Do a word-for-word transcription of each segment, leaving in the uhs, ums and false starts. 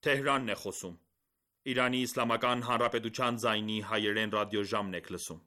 Թեհրանն է խոսում։ Իրանի Իսլամական Հանրապետության ձայնի հայերեն ռադիոժամն եք լսում։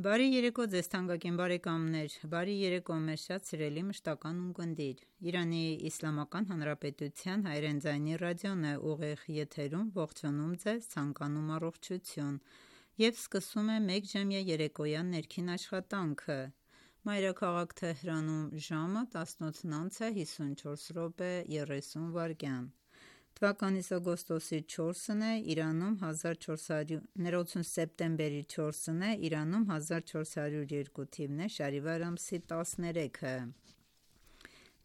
Բարի երեկո ձեզ թանկագին բարեկամներ, բարի երեկո մեզ շատ սիրելի մշտական ունկնդիր։ Իրանի Իսլամական Հանրապետության հայերեն ձայնի ռադիոն է ուղիղ եթերում, ողջունում ձեզ, ցանկանում առողջություն և սկսում է մեկժամյա երեկոյան ներքին աշխատանքը։ Մայրաքաղաք Թեհրանում ժամը տասնութն անց է հիսունչորս րոպե երեսուն վայրկյան։ Թվականիս օգոստոսի չորսն է, Իրանում հազար չորս հարյուր ներողություն սեպտեմբերի չորսն է, Իրանում հազար չորս հարյուր երկու թիվն է, շարիվար ամսի տասներեքը։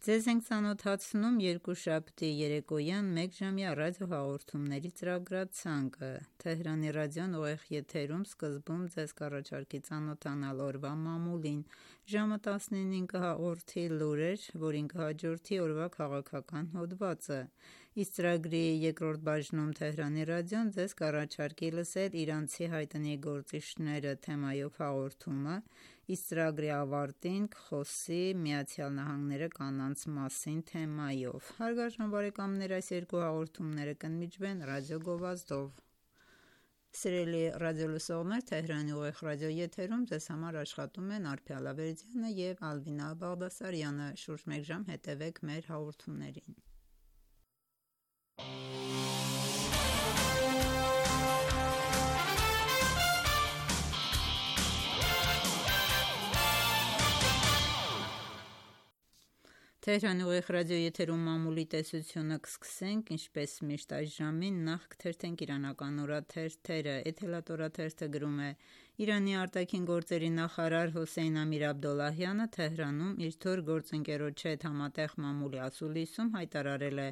Ձեզ ենք ծանոթացնում երկուշաբթի երեկոյան մեկժամյա ռադիոհաղորդումների ծրագրացանկը։ Թեհրանի ռադիոն ուղիղ եթերում սկզբում ձեզ կառաջարկի ծանոթանալ օրվա մամուլին, ժամը տասնինին կհաղորդի լուրեր, որին կհաջորդի օրվա քաղաքական հոդվածը, իսկ ծրագրի երկրորդ բաժնում Թեհրանի ռադիոն ձեզ կառաջարկի լսել իրանցի հայտնի գործիչները թեմայով հաղորդումը, իսկ ծրագրի ավարտին կխոսի ԱՄՆ-ը կանանց մասին թեմայով։ Հարգարժան բարեկամներ, այս երկու հաղորդումները կընդմիջվեն ռադիո գովազդով։ Սիրելի ռադիոլսողներ, Թեհրանի ուղիղ ռադիոեթերում ձեզ համար աշխատում են Արփի Ալավերդյանը և Ալվինա Բաղդասարյանը։ Շուրջ մեկ ժամ հետևեք մեր հաղորդումներին։ Թեհրանի ուղիղ ռադիոեթերում մամուլի տեսությունը կսկսենք, ինչպես միշտ այս ժամին, նախ կթերթենք իրանական օրաթերթերը։ Էթելատ օրաթերթը գրում է. Իրանի արտաքին գործերի նախարար Հոսեյն Ամիր Աբդոլլահյանը Թեհրանում իր թոր գործընկերոջ հետ համատեղ մամուլի ասուլիսում հայտարարել է,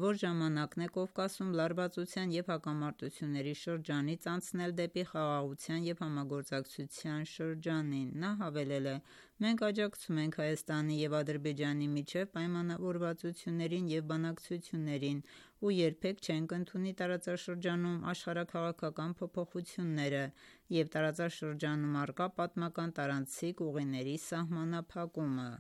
որ ժամանակն է Կովկասում լարվածության և հակամարտությունների շրջանից անցնել դեպի խաղաղության և համագործակցության շրջանին։ Նա հավելել է. «Մենք աջակցում ենք Հայաստանի և Ադրբեջանի միջև պայմանավորվածություններին և բանակցություններին ու երբեք չենք ընդունի տարածաշրջանում աշխարհաքաղաքական փոփոխությունները և տարածաշրջանում առկա պատմական տարանցիկ ուղիների սահմանափակումը»։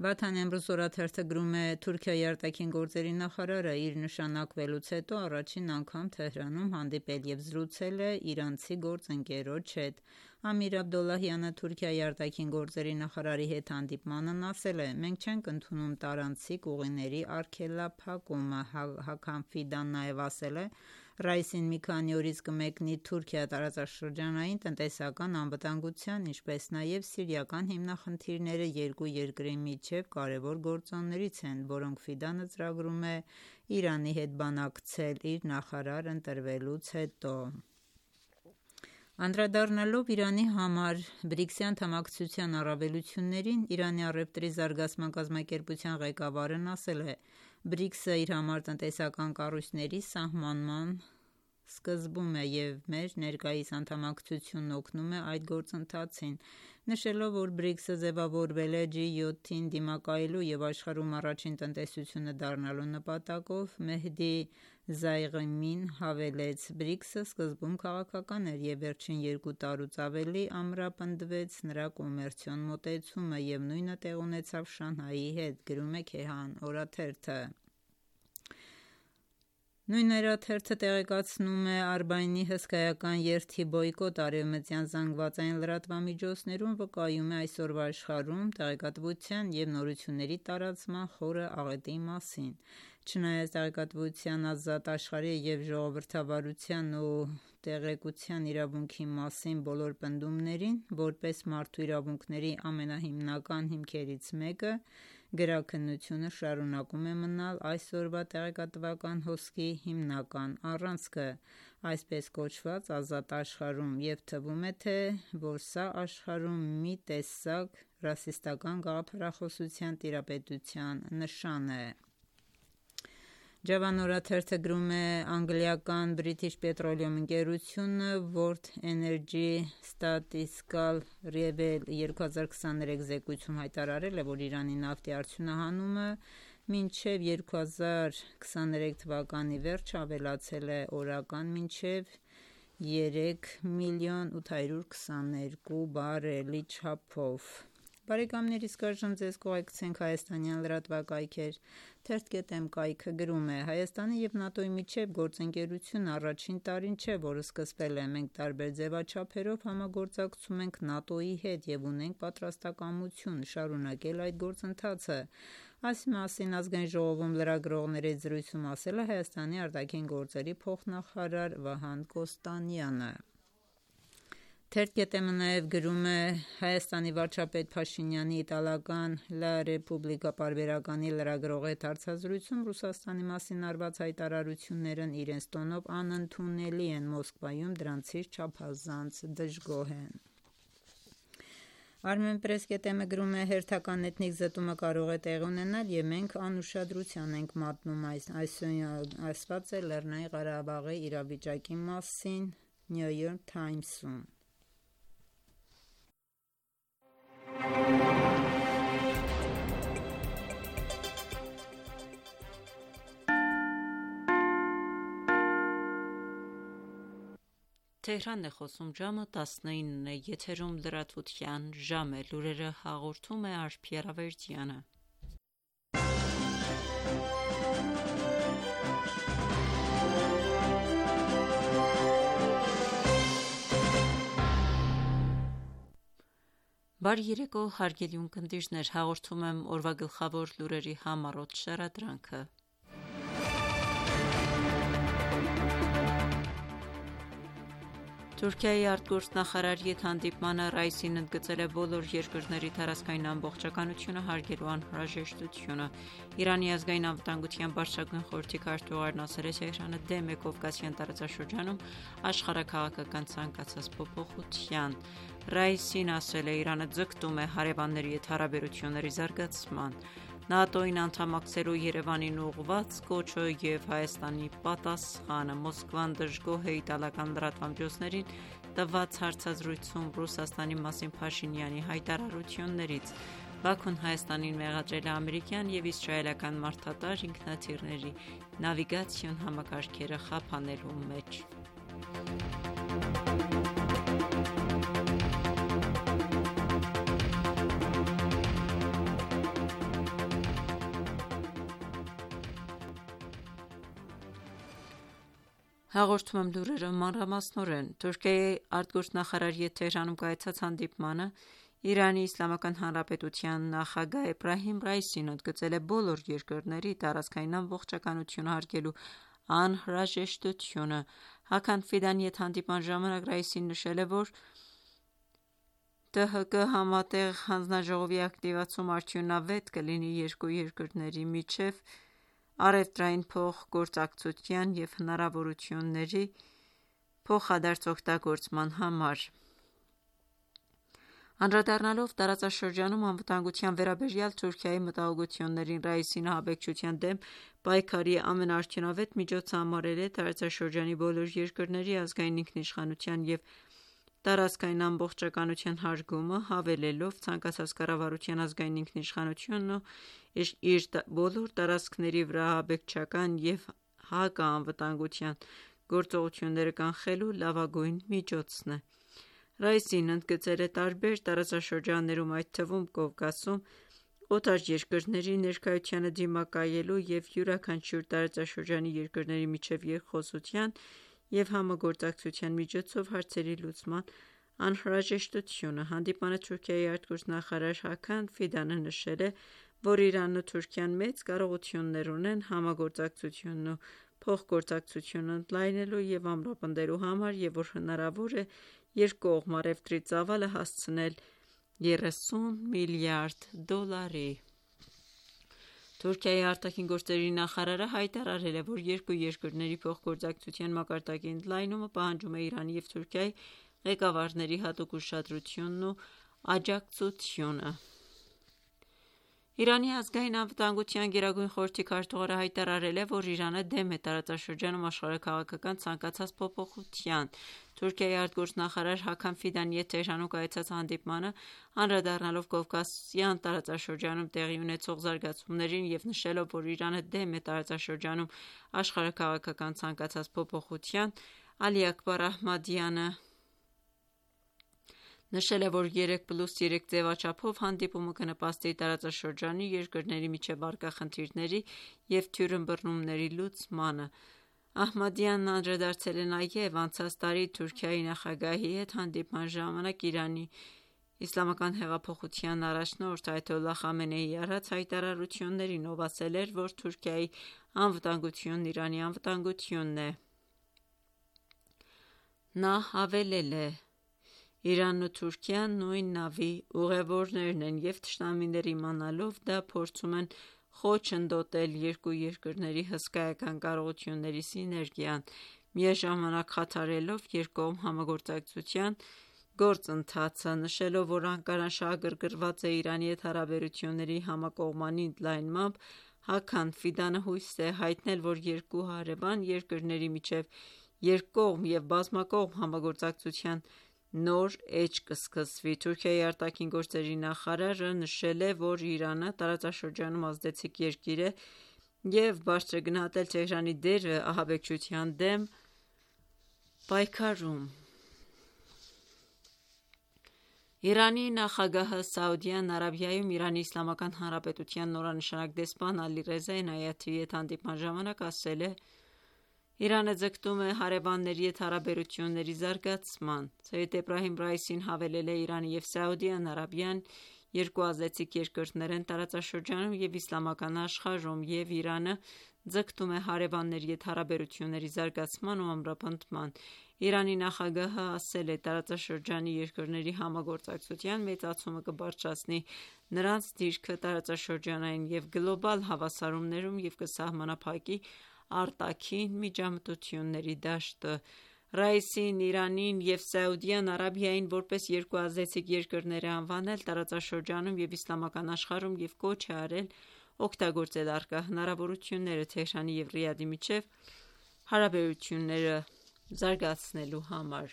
Վաթան Էմրուզ օրաթերթը գրում է. Թուրքիայի արտաքին գործերի նախարարը իր նշանակվելուց հետո առաջին անգամ Թեհրանում հանդիպել և զրուցել է իրանցի գործընկերոջ հետ։ Ամիր Աբդոլլահյանը Թուրքիայի արտաքին գործերի նախարարի հետ հանդիպմանն ասել է. «Մենք չենք ընդունում տարանցիկ ուղիների արգելափակումը»։ Հաքամ Ֆիդան նաև ասել է. «Ռայիսին մի քանի օրից կմեկնի Թուրքիա տարածաշրջանային տնտեսական անվտանգության, ինչպես նաև սիրիական հիմնախնդիրները երկու երկրի միջև կարևոր գործոններից են, որոնք Ֆիդանը ծրագրում է Իրանի հետ բանակցել իր նախարար ընտրվելուց հետո»։ Անդրադառնալով Իրանի համար բրիքսի անդամակցության առավելություններին, Իրանի առևտրի զարգացման կազմակերպության ղեկավարն ասել է. «բրիքսը իր համար տնտեսական կառույցների սահմանման սկզբում է և մեր ներկայիս անդամակցությունն օգնում է այդ գործընթացին»։ Նշելով, որ բրիքսը ձևավորվել է ջի յոթին դիմակայելու և աշխարհում առաջին տնտեսությունը դառնալու նպատակով, Մեհդի Զայղեմին հավելեց. «բրիքսը սկզբում քաղաքական էր և վերջին երկու տարուց ավելի ամրապնդվեց նրա կոմերցիոն մոտեցումը և նույնը տեղի ունեցավ Շանհայի հետ», գրում է Քեհան օրաթերթը։ Նույն օրաթերթը տեղեկացնում է Արբաինի հսկայական երթի բոյկոտ արևմտյան զանգվածային լրատվամիջոցներում վկայում է այսօրվա աշխարհում տեղեկատվության և նորությունների տարածման խորը աղետի մասին։ Չնայած տեղեկատվության ազատ աշխարհի և ժողովրդավարության ու տեղեկության իրավունքի մասին բոլոր պնդումներին, որպես մարդու իրավունքների ամենահիմնական հիմքերից մեկը, գրաքննությունը շարունակում է մնալ այսօրվա տեղեկատվական հոսքի հիմնական առանցքը, այսպես կոչված ազատ աշխարհում, և թվում է թե, որ սա աշխարհում մի տեսակ ռասիստական գաղափարախոսության տիրապետության նշան է: Javan օրաթերթը գրում է. անգլիական British Petroleum ընկերությունը World Energy Statistical Review երկու հազար քսաներեք զեկույցում հայտարարել է, որ Իրանի նավթի արդյունահանումը մինչև երկու հազար քսաներեք թվականի վերջը ավելացել է օրական մինչև երեք միլիոն ութ հարյուր քսաներկու բարելի չափով: Բարեկամներ, իսկ այժմ ձեզ կուղեկցենք հայաստանյան լրատվակայքեր: Թերթ.am կայքը գրում է. Հայաստանի և ՆԱՏՕ-ի միջև գործընկերությունը առաջին տարին չէ, որ սկսվել է: Մենք տարբեր ձևաչափերով համագործակցում ենք ՆԱՏՕ-ի հետ և ունենք պատրաստակամություն շարունակել այդ գործընթացը: Այս մասին Ազգային ժողովում լրագրողների հետ զրույցում ասել է Հայաստանի արտաքին գործերի փոխնախարար Վահան Կոստանյանը: Թերթ.am-ը նաև գրում է. Հայաստանի վարչապետ Փաշինյանի իտալական «Լա Ռեպուբլիկա» պարբերականի լրագրողի հետ հարցազրույցում Ռուսաստանի մասին արված հայտարարություններն իրենց տոնով անընդունելի են, Մոսկվայում դրանցից չափազանց դժգոհ են: Armenpress.am-ը գրում է. հերթական էթնիկ զտումը կարող է տեղի ունենալ և մենք անուշադրության ենք մատնում այն: Այսօր ասված է Լեռնային Ղարաբաղի իրավիճակի մասին New York Times-ում: Բարի երեկո հարգելի ունկնդիրներ, հաղորդում եմ օրվա գլխավոր լուրերի համառոտ շարադրանքը: Թուրքիայի արտգործնախարար ետ հանդիպմանը Ռայիսին ընդգծել է բոլոր երկրների տարածքային ամբողջականությունը հարգելու անհրաժեշտությունը: Իրանի ազգային անվտանգության բարձրագույն խորհրդի քարտուղարն ասել է Թեհրանը դեմ է Կովկասյան տարածաշրջանում աշխարհաքաղաքական ցանկացած փոփոխության: Ռայիսին ասել է. «Իրանը ձգտում է հարևանների հետ հարաբերությունների զարգացման»: ՆԱՏՕ-ին անդամակցելու Երևանին ուղղված կոչը և Հայաստանի պատասխանը: Մոսկվան դժգոհ է իտալական լրատվամիջոցներին տված հարցազրույցում Ռուսաստանի մասին Փաշինյանի հայտարարություններից: Բաքուն Հայաստանին մեղադրել է ամերիկյան և իսրայելական մարդատար ինքնաթիռների նավիգացիոն համակարգերը խափանելու մեջ: Հաղորդում եմ լուրերը մանրամասնորեն: Թուրքիայի արտգործնախարար ետ Թեհրանում կայացած հանդիպմանը ԻԻՀ նախագահ Էբրահիմ Ռայիսին ընդգծել է բոլոր երկրների տարածքային ամբողջականությունը հարգելու անհրաժեշտությունը: Հաքան Ֆիդանի հետ հանդիպման ժամանակ Ռայիսին նշել է, որ ՏՀԿ համատեղ հանձնաժողովի ակտիվացումը արդյունավետ կլինի երկու երկրների միջև առևտրային փոխգործակցության և հնարավորությունների փոխադարձ օգտագործման համար: Անդրադառնալով տարածաշրջանում անվտանգության վերաբերյալ Թուրքիայի մտահոգություններին, Ռայիսին ահաբեկչության դեմ պայքարի ամենաարդյունավետ միջոցը համարել է տարածաշրջանի բոլոր երկրների ազգային ինքնիշխանության և տարածքային ամբողջականության հարգումը, հավելելով. «Ցանկացած կառավարության ազգային ինքնիշխանությունն ու իր բոլոր տարածքների վրա ահաբեկչական և հակաանվտանգության գործողությունները կանխելու լավագույն միջոցն է»: Ռայիսին ընդգծել է տարբեր տարածաշրջաններում, այդ թվում Կովկասում օտար երկրների ներկայությանը դիմակայելու և յուրաքանչյուր տարածաշրջանի երկրների միջև երկխոսության և համագործակցության միջոցով հարցերի լուծման անհրաժեշտությունը: Հանդիպմանը Թուրքիայի արտգործնախարար Հաքան Ֆիդանը նշել է, որ Իրանն ու Թուրքիան մեծ կարողություններ ունեն համագործակցությունն ու փոխգործակցությունը ընդլայնելու և ամրապնդելու համար և որ հնարավոր է երկկողմ առևտրի ծավալը հասցնել երեսուն միլիարդ դոլարի: Թուրքիայի արտաքին գործերի նախարարը հայտարարել է, որ երկու երկրների փոխգործակցության մակարդակի ընդլայնումը պահանջում է Իրանի և Թուրքիայի ղեկավարների հատուկ ուշադրությունն ու աջակցությունը: Իրանի ազգային անվտանգության գերագույն խորհրդի քարտուղարը հայտարարել է, որ Իրանը դեմ է տարածաշրջանում աշխարհաքաղաքական ցանկացած փոփոխության: Թուրքիայի արտգործնախարար Հաքամ Ֆիդանիի հետ Թեհրանում կայացած հանդիպմանը անդրադառնալով Կովկասյան տարածաշրջանում տեղի ունեցող զարգացումներին և նշելով, որ Իրանը դեմ է տարածաշրջանում աշխարհաքաղաքական ցանկացած փոփոխության, Ալի Աքբար Ահմադյանը նշել է, որ երեք պլյուս երեք ձևաչափով հանդիպումը կնպաստի տարածաշրջանի երկրների միջև առկա խնդիրների և թյուրըմբռնումների լուծմանը: Ահմադյանն անդրադարձել է նաև անցած տարի Թուրքիայի նախագահի հետ հանդիպման ժամանակ ԻԻՀ առաջնորդ Այաթոլլահ Խամենեիի արած հայտարարություններին, ով ասել էր, որ Թուրքիայի անվտանգությունն Իրանի անվտանգությունն է: Նա հավելել է.«Իրանն ու Թուրքիան նույն նավի ուղևորներն են և թշնամիները իմանալով դա փորձում են խոչընդոտել երկու երկրների հսկայական կարողությունների սիներգիան, միաժամանակ խաթարելով երկկողմ համագործակցության գործընթացը, նշելով, որ Անկարան շահագրգռված է Իրանի հետ հարաբերությունների համակողմանի ընդլայնմամբ: Հաքամ Ֆիդանը հույս է հայտնել, որ երկու հարևան երկրների միջև երկկողմ և բազմակողմ համագործակցության նոր էջ կսկսվի: Թուրքիայի արտաքին գործերի նախարարը նշել է, որ Իրանը տարածաշրջանում ազդեցիկ երկիր է և բարձր է գնահատել Թեհրանի դերը ահաբեկչության դեմ պայքարում: Իրանի նախագահը Սաուդյան Արաբիայում Իրանի Իսլամական Հանրապետության նորանշանակ դեսպան Ալիռեզա Էնայաթիի հետ հանդիպման ժամանակ ասել է.«Իրանը ձգտում է հարևանների հետ հարաբերությունների զարգացման»: Սեյեդ Էբրահիմ Ռայիսին հավելել է.«Իրանը և Սաուդյան Արաբիան երկու ազդեցիկ երկրներ են տարածաշրջանում և իսլամական աշխարհում և Իրանը ձգտում է հարևանների հետ հարաբերությունների զարգացման ու ամրապնդման»: Իրանի նախագահը ասել է.«Տարածաշրջանի երկրների համագործակցության մեծացումը կբարձրացնի նրանց դիրքը տարածաշրջանային և գլոբալ հավասարումներում և կսահմանափակի արտաքին միջամտությունների դաշտը»: Ռայիսին Իրանին և Սաուդյան Արաբիային որպես երկու ազդեցիկ երկրներ է անվանել տարածաշրջանում և իսլամական աշխարհում և կոչ է արել օգտագործել առկա հնարավորությունները Թեհրանի և Ռիադի միջև հարաբերությունները զարգացնելու համար: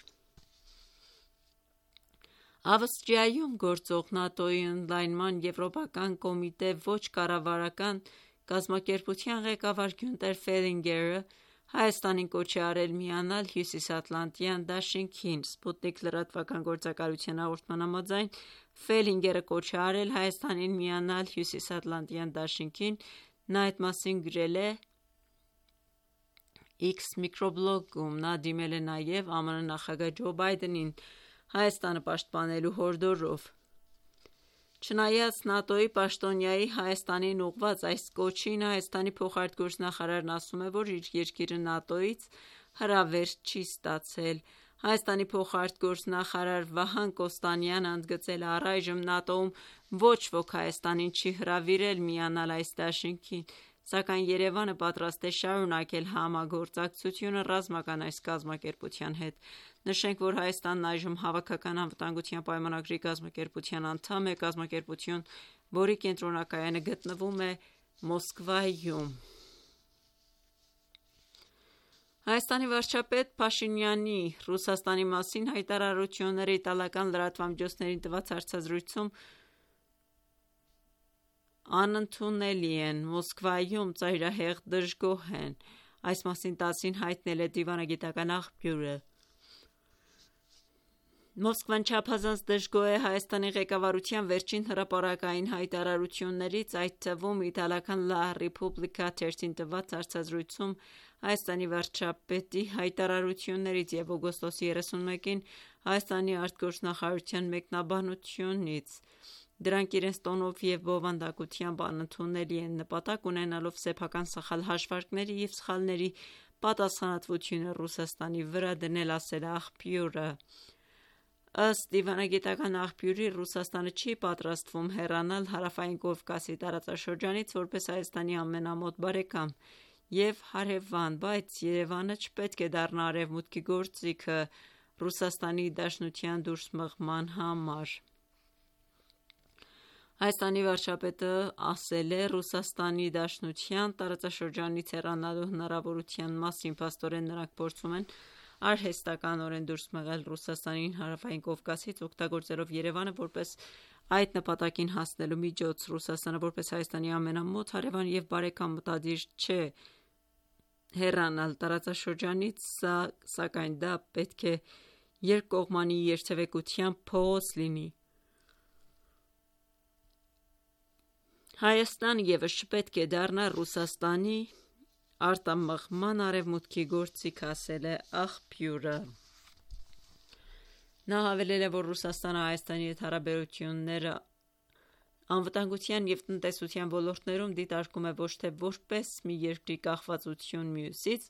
Ավստրիայում գործող ՆԱՏՕ-ի ընդլայնման եվրոպական կոմիտե ոչ կառավարական կազմակերպության ղեկավար Գյունտեր Ֆելինգերը Հայաստանին կոչ է արել միանալ Հյուսիսատլանտյան դաշինքին: Սպուտնիկ լրատվական գործակալության հաղորդման համաձայն, Ֆելինգերը կոչ է արել Հայաստանին միանալ Հյուսիսատլանտյան դաշինքին: Նա այդ մասին գրել է X միկրոբլոգում: Նա դիմել է նաև ԱՄՆ նախագահ Ջո Բայդենին Հայաստանը պաշտպանելու հորդորով: Չնայած ՆԱՏՕ-ի պաշտոնյայի Հայաստանին ուղղված այս կոչին, Հայաստանի փոխարտգործնախարարն ասում է, որ իր երկիրը ՆԱՏՕ-ից հրավեր չի ստացել: Հայաստանի փոխարտգործնախարար Վահան Կոստանյանը ընդգծել է. «Առայժմ ՆԱՏՕ-ում ոչ ոք Հայաստանին չի հրավիրել միանալ այս դաշինքին, սակայն Երևանը պատրաստ է շարունակել համագործակցությունը ռազմական այս կազմակերպության հետ»: Նշենք, որ Հայաստանն այժմ Հավաքական անվտանգության պայմանագրի կազմակերպության անդամ է: Կազմակերպություն, որի կենտրոնակայանը գտնվում է Մոսկվայում: Հայաստանի վարչապետ Փաշինյանի Ռուսաստանի մասին հայտարարությունները իտալական լրատվամիջոցներին տված հարցազրույցում անընդունելի են: Մոսկվայում ծայրահեղ դժգոհ են: Այս մասին ՏԱՍՍ-ին հայտնել է դիվանագիտական աղբյուրը: Մոսկվան չափազանց դժգոհ է Հայաստանի ղեկավարության վերջին հրապարակային հայտարարություններից, այդ թվում իտալական «Լա Ռիփուբլիկա» թերթին տված հարցազրույցում Հայաստանի վարչապետի հայտարարություններից և օգոստոսի երեսունմեկին Հայաստանի արտգործնախարարության մեկնաբանությունից: Դրանք իրենց տոնով և բովանդակությամբ անընդունելի են, նպատակ ունենալով սեփական սխալ հաշվարկների և սխալների պատասխանատվությունը Ռուսաստանի վրա դնել, ասել է աղբյուրը: Ըստ դիվանագիտական աղբյուրի, Ռուսաստանը չի պատրաստվում հեռանալ Հարավային Կովկասի տարածաշրջանից որպես Հայաստանի ամենամոտ բարեկամ և հարևան, բայց Երևանը չպետք է դառնա Արևմուտքի գործիքը Ռուսաստանի Դաշնության դուրս մղման համար: Հայաստանի վարչապետը ասել է Ռուսաստանի Դաշնության տարածաշրջանից հեռանալու հնարավորության մասին: Փաստորեն նրանք փորձում են արհեստականորեն դուրս մղել Ռուսաստանին Հարավային Կովկասից, օգտագործելով Երևանը որպես այդ նպատակին հասնելու միջոց: Ռուսաստանը որպես Հայաստանի ամենամոտ հարևան և բարեկամ մտադիր չէ հեռանալ տարածաշրջանից, սակայն դա պետք է երկկողմանի երթևեկությամբ փողոց լինի: Հայաստանը ևս չպետք է դառնա Ռուսաստանի արտամղման Արևմուտքի գործիք, ասել է աղբյուրը: Նա հավելել է, որ Ռուսաստանը Հայաստանի հետ հարաբերությունները անվտանգության և տնտեսության ոլորտներում դիտարկում է ոչ թե որպես մի երկրի կախվածություն մյուսից,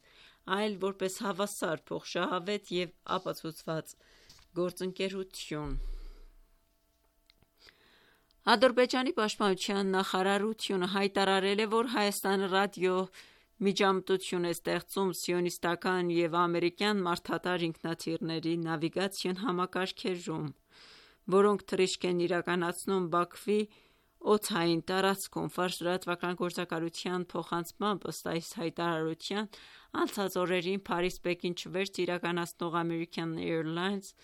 այլ որպես հավասար, փոխշահավետ և ապացուցված գործընկերություն: Ադրբեջանի պաշտպանության նախարարությունը հայտարարել է, որ Հայաստանը ռադիոմիջամտություն է ստեղծում սիոնիստական և ամերիկյան մարդատար ինքնաթիռների նավիգացիոն համակարգերում, որոնք թռիչք են իրականացնում Բաքվի օդային տարածքում: Ֆարս լրատվական գործակալության փոխանցմամբ, ըստ այս հայտարարության, անցած օրերին Փարիզ-Պեկին չվերթ իրականացնող American Airlines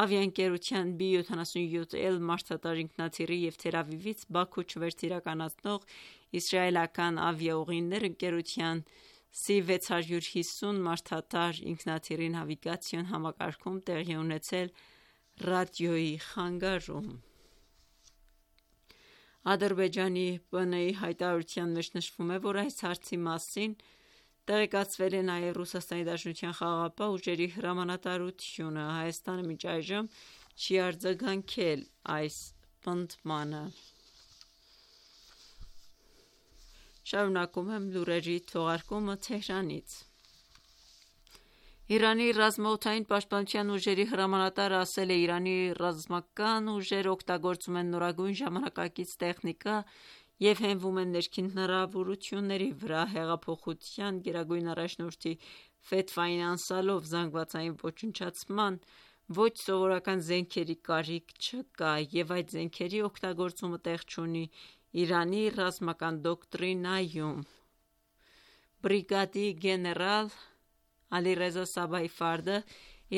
ավիաընկերության բի յոթանասունյոթ L մարդատար ինքնաթիռի և Թել Ավիվից Բաքու չվերթ իրականացնող իսրայելական ավիաուղիներ ընկերության սի վեց հարյուր հիսուն մարդատար ինքնաթիռի նավիգացիոն համակարգում տեղի ունեցել ռադիոյի խանգարում: Ադրբեջանի ՊՆ-ի հայտարարության մեջ նշվում է, որ այս հարցի մասին տեղեկացվել է նաև Ռուսաստանի Դաշնության խաղաղապահ ուժերի հրամանատարությունը: Հայաստանը մինչ այժմ չի արձագանքել այս պնդմանը: Շարունակում եմ լուրերի թողարկումը Թեհրանից: Իրանի ռազմաօդային պաշտպանության ուժերի հրամանատարը ասել է. «Իրանի ռազմական ուժերը օգտագործում են նորագույն ժամանակակից տեխնիկա և հենվում են ներքին հնարավորությունների վրա: Հեղափոխության գերագույն առաջնորդի ֆեթվային անցյալով զանգվածային ոչնչացման ոչ սովորական զենքերի կարիք չկա և այդ զենքերի օգտագործումը տեղ չունի Իրանի ռազմական դոկտրինայում: Բրիգադի գեներալ Ալիռեզա Սաբահի Ֆարդը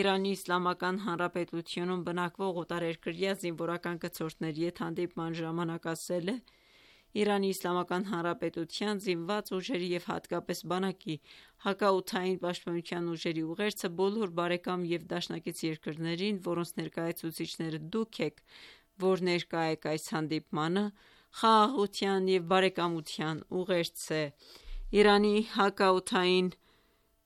Իրանի Իսլամական Հանրապետությունում բնակվող օտարերկրյա զինվորական կցորդների հետ հանդիպման ժամանակ ասել է. «Իրանի Իսլամական Հանրապետության զինված ուժերի և հատկապես բանակի հակաօդային պաշտպանության ուժերի ուղերձը բոլոր բարեկամ և դաշնակից երկրներին, որոնց ներկայացուցիչները դուք եք, որ ներկա եք այս հանդիպմանը, խաղաղության և բարեկամության ուղերձ է»: Իրանի հակաօդային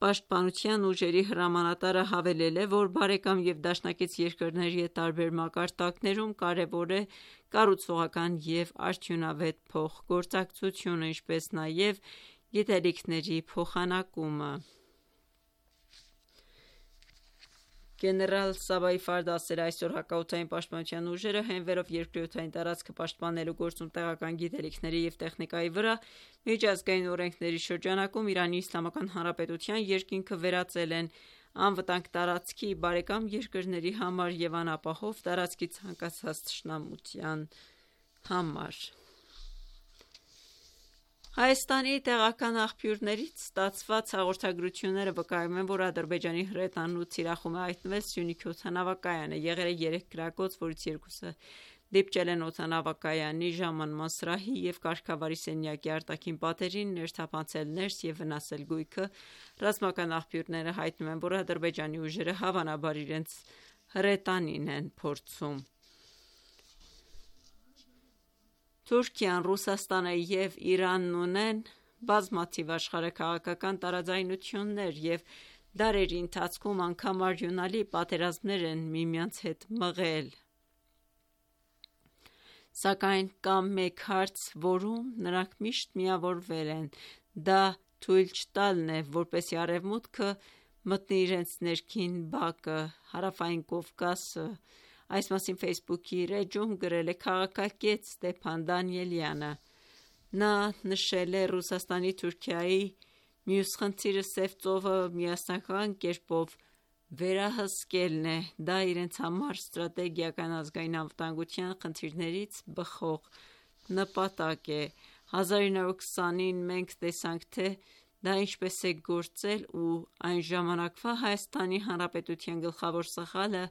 պաշտպանության ուժերի հրամանատարը հավելել է, որ բարեկամ և դաշնակից երկրների հետ տարբեր մակարդակներում կարևոր է կառուցողական և արդյունավետ փոխգործակցությունը, ինչպես նաև գիտելիքների փոխանակումը: Գեներալ Սաբահի Ֆարդը ասել է. «Այսօր հակաօդային պաշտպանության ուժերը, հենվելով երկրի օդային տարածքը պաշտպանելու գործում տեղական գիտելիքների և տեխնիկայի վրա, միջազգային օրենքների շրջանակում Իրանի Իսլամական Հանրապետության երկինքը վերածել են անվտանգ տարածքի բարեկամ երկրների համար և անապահով տարածքի ցանկացած թշնամության համար»: Հայաստանի տեղական աղբյուրներից ստացված հաղորդագրությունները վկայում են, որ Ադրբեջանի հրետանն ու թիրախում է հայտնվել Սյունիքի օդանավակայանը: Եղել է երեք կրակոց, որից երկուսը դիպչել են օդանավակայանի ժամանման սրահի և կարգավարի սենյակի արտաքին պատերին, ներթափանցել ներս և վնասել գույքը: Ռազմական աղբյուրները հայտնում են, որ Ադրբեջանի ուժերը հավանաբար իրենց հրետանին են փորձում: Թուրքիան, Ռուսաստանը և Իրանն ունեն բազմաթիվ աշխարհաքաղաքական տարաձայնություններ և դարերի ընթացքում անգամ արյունալի պատերազմներ են միմյանց հետ մղել: Սակայն կա մեկ հարց, որում նրանք միշտ միավորվել են, դա թույլ չտալն է, որպեսզի Արևմուտքը մտնի իրենց ներքին բակը՝ Հարավային Կովկասը։ Այս մասին Facebook-ի իր էջում գրել է քաղաքագետ Ստեփան Դանիելյանը։ Նա նշել է Ռուսաստանի, Թուրքիայի մյուս խնդիրը Սև ծովը միասնական կերպով վերահսկելն է։ Դա իրենց համար ստրատեգիական ազգային անվտանգության խնդիրներից բխող նպատակ է։ հազար ինը հարյուր քսանին մենք տեսանք, թե դա ինչպես է գործել, ու այն ժամանակվա Հայաստանի Հանրապետության գլխավոր սխալը,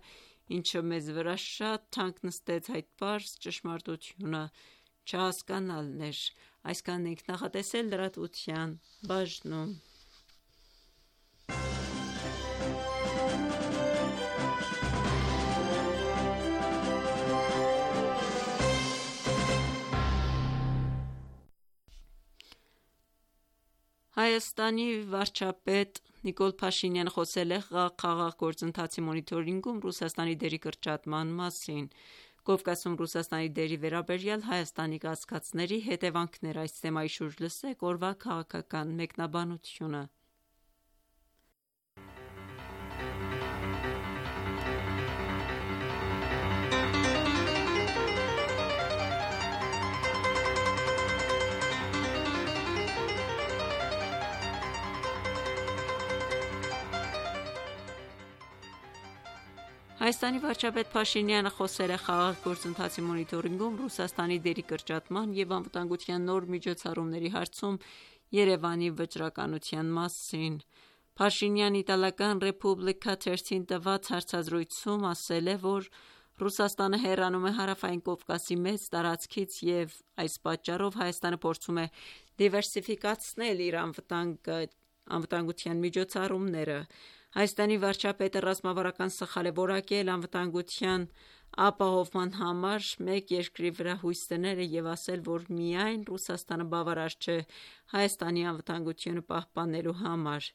ինչը մեզ վրա շատ թանկ նստեց, այդ պարզ ճշմարտությունը չհասկանալն էր։ Այսքանն ենք նախատեսել լրատվության բաժնում։ Հայաստանի վարչապետ Նիկոլ Փաշինյանը խոսել է խաղաղ գործընթացի մոնիթորինգում Ռուսաստանի դերի կրճատման մասին։ Կովկասում Ռուսաստանի դերի վերաբերյալ Հայաստանի կասկածների հետևանքներ, այս թեմայի շուրջ լսեք օրվա քաղաքական մեկնաբանությունը։ Հայաստանի վարչապետ Փաշինյանը խոսել է խաղաղ գործընթացի մոնիթորինգում Ռուսաստանի դերի կրճատման և անվտանգության նոր միջոցառումների հարցում Երևանի վճռականության մասին։ Փաշինյանն Իտալական Ռեպուբլիկա թերթին տված հարցազրույցում ասել է, որ Ռուսաստանը հեռանում է Հարավային Կովկասի մեծ տարածքից և այս պատճառով Հայաստանը փորձում է դիվերսիֆիկացնել իր անվտանգության միջոցառումները։ Հայաստանի վարչապետը ռազմավարական սխալ է որակել անվտանգության ապահովման համար մեկ երկրի վրա հույս դնելը և ասել, որ միայն Ռուսաստանը բավարար չէ Հայաստանի անվտանգությունը պահպանելու համար։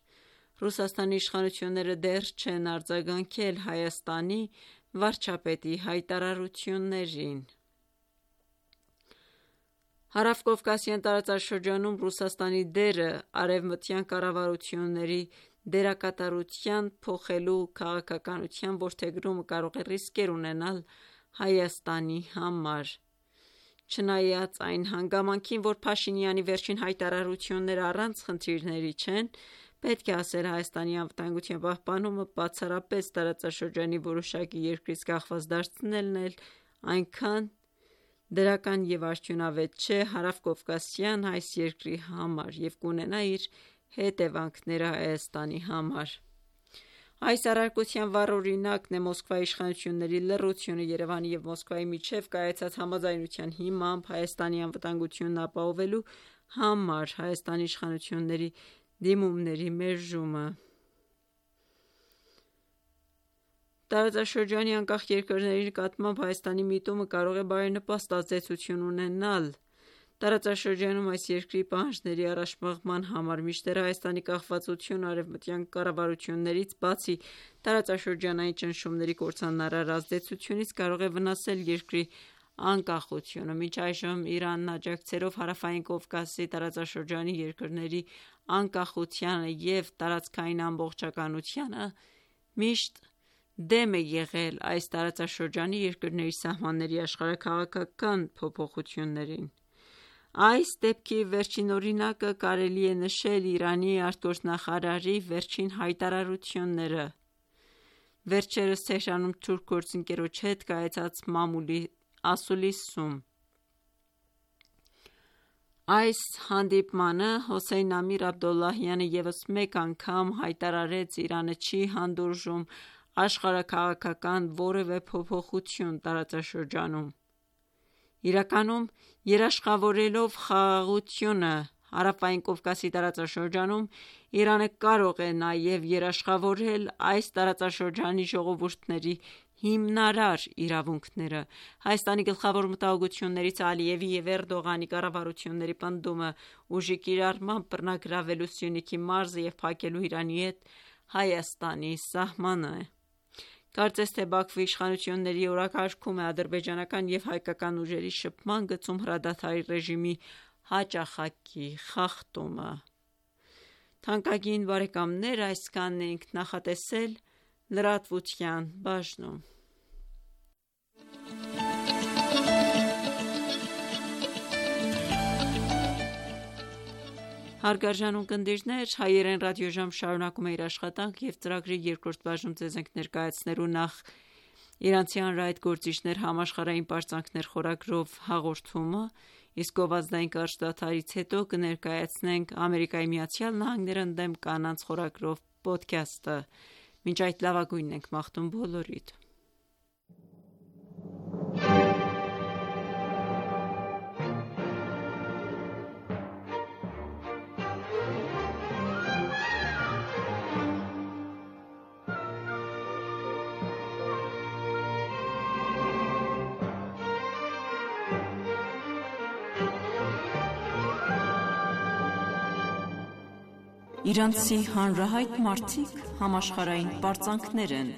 Ռուսաստանի իշխանությունները դեռ չեն արձագանքել Հայաստանի վարչապետի հայտարարություններին։ Հարավկովկասյան տարածաշրջանում Ռուսաստանի դերը արևմտյան կառավարությունների դերակատարության փոխելու քաղաքականության որդեգրումը կարող է ռիսկեր ունենալ Հայաստանի համար։ Չնայած այն հանգամանքին, որ Փաշինյանի վերջին հայտարարությունները առանց խնդիրների չեն, պետք է ասել Հայաստանի անվտանգության պահպանումը բացառապես տարածաշրջանի որոշակի երկրից կախված դարձնելն էլ այնքան դրական և արդյունավետ չէ հարավկովկասյան այս երկրի համար և կունենա իր հետևանքները Հայաստանի համար։ Այս առարկության վառ օրինակն է Մոսկվայի իշխանությունների լռությունը Երևանի և Մոսկվայի միջև կայացած համաձայնության հիմամբ Հայաստանի անվտանգությունն ապահովելու համար Հայաստանի իշխանությունների դիմումների մերժումը։ Տարածաշրջանի անկախ երկրների նկատմամբ Հայաստանի միտումը կարող է բարենպաստ ազդեցություն ունենալ տարածաշրջանում այս երկրի պահանջների առաջմղման համար, մինչդեռ Հայաստանի կախվածությունը արևմտյան կառավարություններից, բացի տարածաշրջանային ճնշումների կործանարար ազդեցությունից, կարող է վնասել երկրի անկախությունը։ Մինչ այժմ Իրանն աջակցելով Հարավային Կովկասի տարածաշրջանի երկրների անկախությանը և տարածքային ամբողջականությանը, միշտ դեմ է եղել այս տարածաշրջանի երկրների սահմանների աշխարհաքաղաքական փոփոխություններին։ Այս դեպքի վերջին օրինակը կարելի է նշել Իրանի արտգործնախարարի վերջին հայտարարությունները։ Վերջերս Թեհրանում թուրք գործընկերոջ հետ կայացած մամուլի ասուլիսում։ Այս հանդիպմանը Հոսեյն Ամիր Աբդոլլահյանը ևս մեկ անգամ հայտարարեց Իրանը չի հանդուրժում աշխարհաքաղաքական որևէ փոփոխություն տարածաշրջանում։ Իրականում երաշխավորելով խաղաղությունը Հարավային Կովկասի տարածաշրջանում, Իրանը կարող է նաև երաշխավորել այս տարածաշրջանի ժողովուրդների հիմնարար իրավունքները։ Հայաստանի գլխավոր մտահոգություններից Ալիևի և Էրդողանի կառավարությունների պնդումը ուժի կիրառմամբ բռնագրավելու Սյունիքի մարզը և փակելու Իրանի հետ Հայաստանի սահմանը։ Կարծես թե Բաքվի իշխանությունների օրակարգում է ադրբեջանական և հայկական ուժերի շփման գծում հրադադարի ռեժիմի հաճախակի խախտումը։ Թանկագին բարեկամներ, այսքանն էինք նախատեսել լրատվության բաժնում։ Հարգարժան ունկնդիրներ, Հայերեն ռադիոժամ շարունակում է իր աշխատանք և ծրագրի երկրորդ բաժնում ձեզ ենք ներկայացնելու նախ Իրանցի հանրահայտ գործիչներ համաշխարհային պարծանքներ խորագրով հաղորդումը, իսկ գովազդային կարճ դադարից հետո կներկայացնենք Ամերիկայի Միացյալ Նահանգները ընդդեմ կանանց խորագրով պոդքասթը։ Մինչ այդ լավագույնն ենք մաղթում բոլորիդ։ Իրանցի հանրահայտ մարդիկ համաշխարհային պարծանքներ են։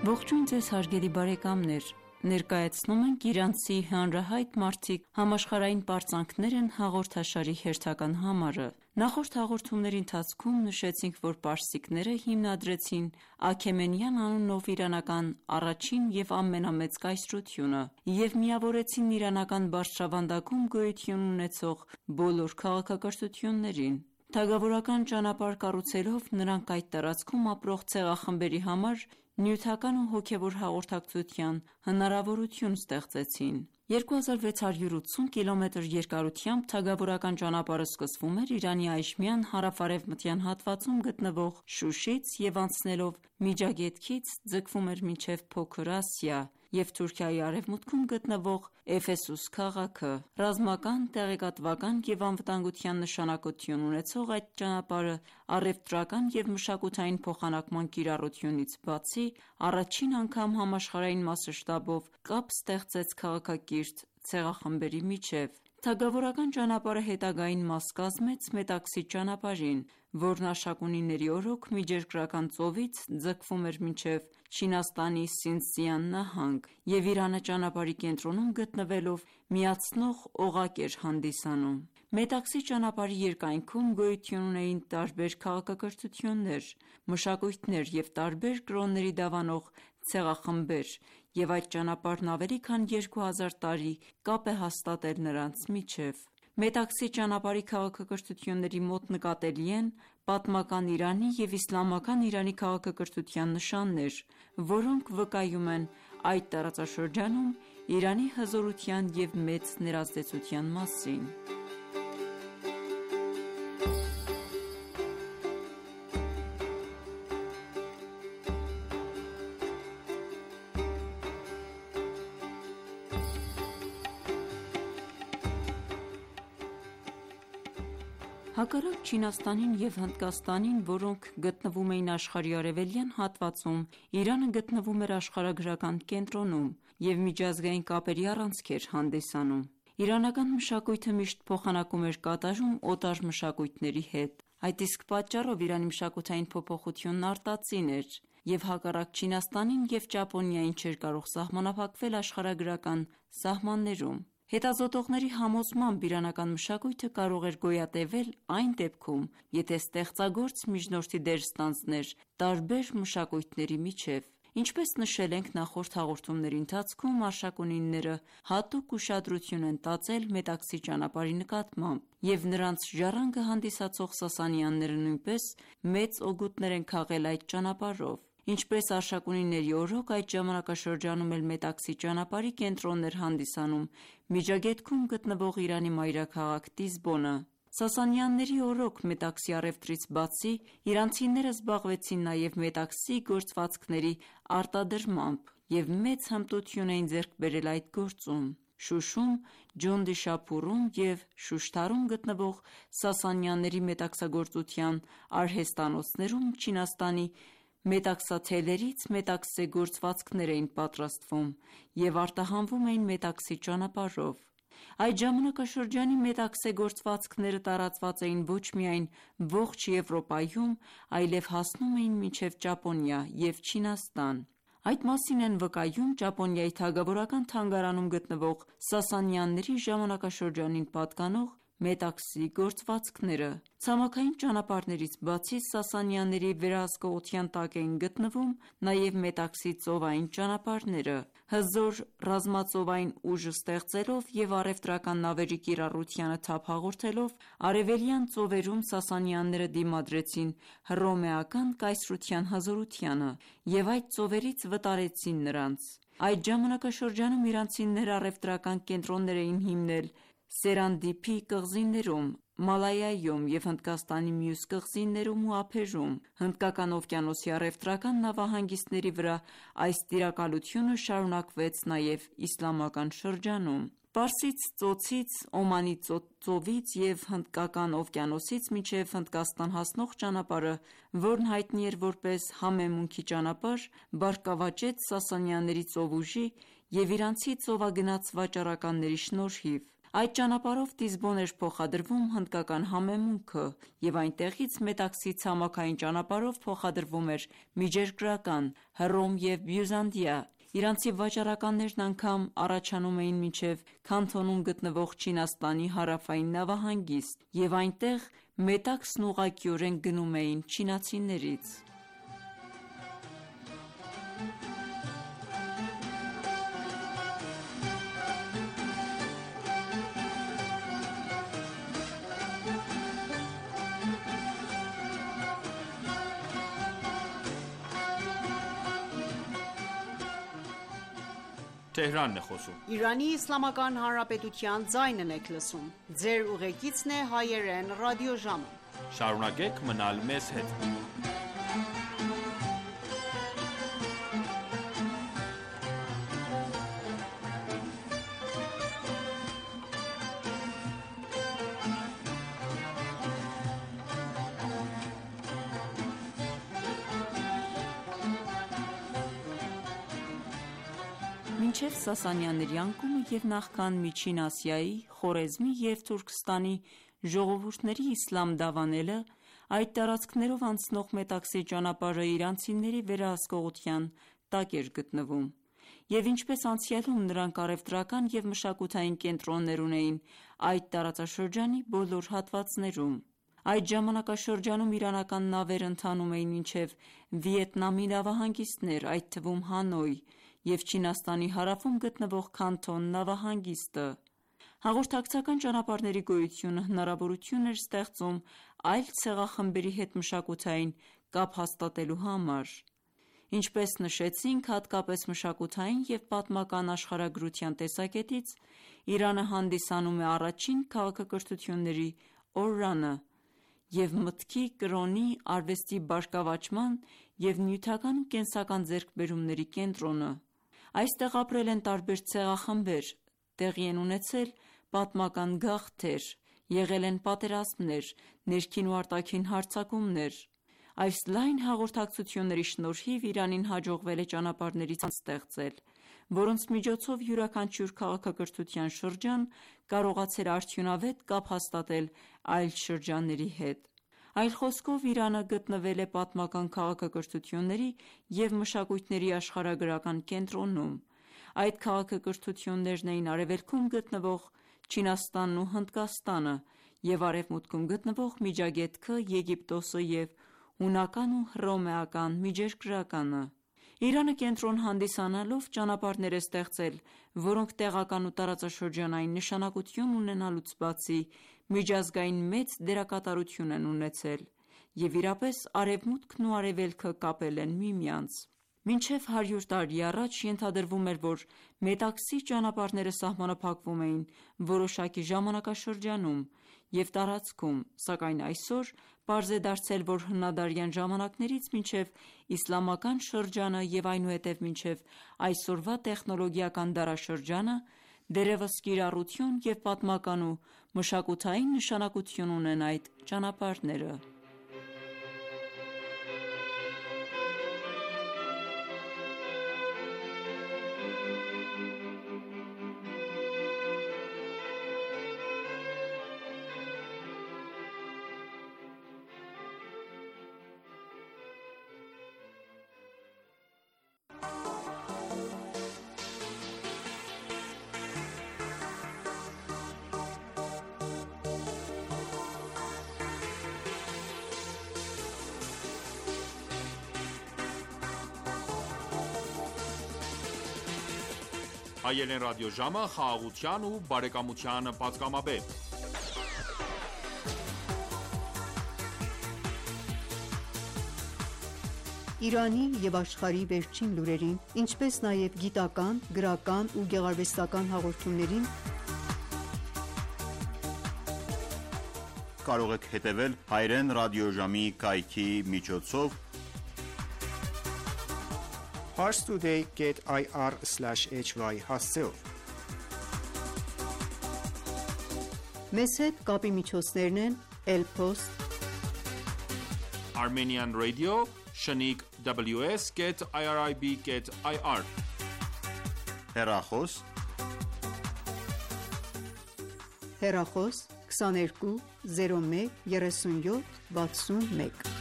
Ողջույն ձեզ հարգելի բարեկամներ, ներկայացնում ենք իրանցի հանրահայտ մարդիկ համաշխարհային պարծանքներ են հաղորդաշարի հերթական համարը։ Նախորդ հաղորդումների ընթացքում նշեցինք, որ պարսիկները հիմնադրեցին Աքեմենյան անունով իրանական առաջին և ամենամեծ կայսրությունը և միավորեցին իրանական բարձրավանդակում գոյություն ունեցող բոլոր քաղաքակրթություններին։ Թագավորական ճանապարհ կառուցելով նրանք այդ տարածքում ապրող ցեղախմբերի համար նյութական ու հոգևոր հաղորդակցության հնարավորություն ստեղծեցին։ երկու հազար վեց հարյուր ութսուն կիլոմետր երկարությամբ թագավորական ճանապարհը սկսվում էր Իրանի այժմյան հարավ-արևմտյան հատվածում գտնվող Շուշից և անցնելով Միջագետքից ձգվում էր մինչև Փոքր Ասիա և Թուրքիայի արևմուտքում գտնվող Էֆեսուս քաղաքը։ Ռազմական, տեղեկատվական և անվտանգության նշանակություն ունեցող այդ ճանապարհը առևտրական և մշակութային փոխանակման կիրառությունից բացի, առաջին անգամ համաշխարհային մասշտաբով կապ ստեղծեց քաղաքակիրթ ցեղախմբերի միջև։ Թագավորական ճանապարհը հետագային մաս կազմեց Մետաքսի ճանապարհին, որն Աշակունիների օրոք Միջերկրական ծովից ձգվում էր մինչև Չինաստանի Սինսյան նահանգ և Իրանը ճանապարհի կենտրոնում գտնվելով միացնող օղակ էր հանդիսանում։ Մետաքսի ճանապարհի երկայնքում գոյություն ունեին տարբեր քաղաքակրթություններ, մշակույթներ և տարբեր կրոնների դավանող ցեղախմբեր, և այդ ճանապարհն ավելի քան երկու հազար տարի կապ է հաստատել նրանց միջև։ Մետաքսի ճանապարհի քաղաքակրթությունների մոտ նկատելի են պատմական Իրանի և իսլամական Իրանի քաղաքակրթության նշաններ, որոնք վկայում են այդ տարածաշրջանում Իրանի հզորության և մեծ ներազդեցության մասին։ Հակառակ Չինաստանին և Հնդկաստանին, որոնք գտնվում էին աշխարհի արևելյան հատվածում, Իրանը գտնվում էր աշխարհագրական կենտրոնում և միջազգային կապերի առանցք էր հանդիսանում։ Իրանական մշակույթը միշտ փոխանակում էր կատարում օտար մշակույթների հետ։ Այդ իսկ պատճառով Իրանի մշակութային փոփոխությունն արտածին էր և հակառակ Չինաստանին և Ճապոնիային չէր կարող սահմանափակվել աշխարհագրական սահմաններում։ Հետազոտողների համոզմամբ իրանական մշակույթը կարող էր գոյատևել այն դեպքում, եթե ստեղծագործ միջնորդի դեր ստանձներ տարբեր մշակույթների միջև։ Ինչպես նշել ենք նախորդ հաղորդումների ընթացքում, Աշակունիները հատուկ ուշադրություն են տածել Մետաքսի ճանապարհի նկատմամբ, և նրանց ժառանգը հանդիսացող Սասանյանները նույնպես մեծ օգուտներ են քաղել այդ ճանապարհով։ Ինչպես Աշակունիների օրոք, այդ ժամանակաշրջանում էլ Մետաքսի ճանապարհի կենտրոնն էր հանդիսանում Միջագետքում գտնվող Իրանի մայրաքաղաք Տիզբոնը։ Սասանյանների օրոք Մետաքսի առևտրից բացի, իրանցիները զբաղվեցին նաև Մետաքսի գործվածքների արտադրմամբ և մեծ հմտություն էին ձեռք բերել այդ գործում։ Շուշում, Ջոնդիշափուրում և Շուշթարում գտնվող Սասանյանների մետաքսագործության արհեստանոցներում Չինաստանի մետաքսաթելերից մետաքսե գործվածքներ էին պատրաստվում և արտահանվում էին Մետաքսի ճանապարհով: Այդ ժամանակաշրջանի մետաքսե գործվածքները տարածված էին ոչ միայն ողջ Եվրոպայում, այլև հասնում էին մինչև Ճապոնիա և Չինաստան: Այդ մասին են վկայում Ճապոնիայի թագավորական թանգարանում գտնվող Սասանյանների ժամանակաշրջանին պատկանող մետաքսի գործվածքները: Ցամաքային ճանապարհներից բացի Սասանյանների վերահսկողության տակ էին գտնվում նաև Մետաքսի ծովային ճանապարհները: Հզոր ռազմածովային ուժ ստեղծելով և առևտրական նավերի կիրառությանը թափ հաղորդելով, արևելյան ծովերում Սասանյանները դիմադրեցին հռոմեական կայսրության հզորությանը և այդ ծովերից վտարեցին նրանց: Այդ ժամանակաշրջանում իրանցիները առևտրական կենտրոններ էին հիմնել Սերանդիփի կղզիներում, Մալայայում և Հնդկաստանի մյուս կղզիներում ու ափերում: Հնդկական օվկիանոսի առևտրական նավահանգիստների վրա այս տիրակալությունը շարունակվեց նաև իսլամական շրջանում: Պարսից ծոցից, Օմանի ծովից և Հնդկական օվկիանոսից մինչև Հնդկաստան հասնող ճանապարհը, որն հայտնի էր որպես Համեմունքի ճանապարհ, բարգավաճեց Սասանյանների ծովուժի և իրանցի ծովագնաց վաճառականների շնորհիվ: Այդ ճանապարհով Տիզբոն էր փոխադրվում հնդկական համեմունքը և այնտեղից Մետաքսի ցամաքային ճանապարհով փոխադրվում էր միջերկրական Հռոմ և Բյուզանդիա: Իրանցի վաճառականներն անգամ առաջանում էին մինչև Քանթոնում գտնվող Չինաստանի հարավային նավահանգիստ և այնտեղ մետաքսն ուղղակիորեն գնում էին չինացիներից: Մինչև Սասանյանների անկումը և նախքան Միջին Ասիայի, Խորեզմի և Թուրքստանի ժողովուրդների իսլամ դավանելը, այդ տարածքներով անցնող Մետաքսի ճանապարհը իրանցիների վերահսկողության տակ էր գտնվում և ինչպես անցյալում նրանք առևտրական և մշակութային կենտրոններ ունեին այդ տարածաշրջանի բոլոր հատվածներում: Այդ ժամանակաշրջանում իրանական նավերը ընթանում էին մինչև Վիետնամի նավահանգիստներ, այդ թվում Հանոյ և Չինաստանի հարավում գտնվող Քանթոն նավահանգիստը: Հաղորդակցական ճանապարհների գոյությունը հնարավորություն էր ստեղծում այլ ցեղախմբերի հետ մշակութային կապ հաստատելու համար: Ինչպես նշեցինք, հատկապես մշակութային և պատմական աշխարհագրության տեսակետից Իրանը հանդիսանում է առաջին քաղաքակրթությունների օրրանը և մտքի, կրոնի, արվեստի բարգավաճման և նյութական ու կենսական ձեռքբերումների կենտրոնը: Այստեղ ապրել են տարբեր ցեղախմբեր, տեղի են ունեցել պատմական գաղթեր, եղել են պատերազմներ, ներքին ու արտաքին հարձակումներ: Այս լայն հաղորդակցությունների շնորհիվ Իրանին հաջողվել է ճանապարհների ցանց ստեղծել, որոնց միջոցով յուրաքանչյուր քաղաքակրթության շրջան կարողացել է արդյունավետ կապ հաստատել այլ շրջանների հետ: Այլ խոսքով Իրանը գտնվել է պատմական քաղաքակրթությունների և մշակույթների աշխարհագրական կենտրոնում: Այդ քաղաքակրթություններն էին արևելքում գտնվող Չինաստանն ու Հնդկաստանը և արևմուտքում գտնվող Միջագետքը, Եգիպտոսը և հունական ու հռոմեական միջերկրականը: Իրանը կենտրոն հանդիսանալով ճանապարհներ է ստեղծել, որոնք տեղական ու տարածաշրջանային նշանակություն ունենալուց բացի միջազգային մեծ դերակատարություն են ունեցել և իրապես արևմուտքն ու արևելքը կապել են միմյանց: Մինչև հարյուր տարի առաջ ենթադրվում էր, որ Մետաքսի ճանապարհները սահմանափակվում էին որոշակի ժամանակաշրջանում և տարածքում, սակայն այսօր պարզ է դարձել, որ հնադարյան ժամանակներից մինչև իսլամական շրջանը և այնուհետև մինչև այսօրվա տեխնոլոգիական դարաշրջանը դերևս կիրառություն և պատմական ու մշակութային նշանակություն ունեն այդ ճանապարհները։ Հայերեն ռադիոժամը խաղաղության ու բարեկամության պատգամաբեր։ Իրանի և աշխարհի վերջին լուրերին, ինչպես նաև գիտական, գրական ու գեղարվեստական հաղորդումներին կարող եք հետևել Հայերեն ռադիոժամի կայքի միջոցով parstoday dot i r slash h y հասցեով։ Մեզ հետ կապի միջոցներն են Elpost, Armenian Radio, Shaniq W S dot i r i b dot i r հեռախոս, հեռախոս քսաներկու զիրո մեկ երեսունյոթ վաթսունմեկ։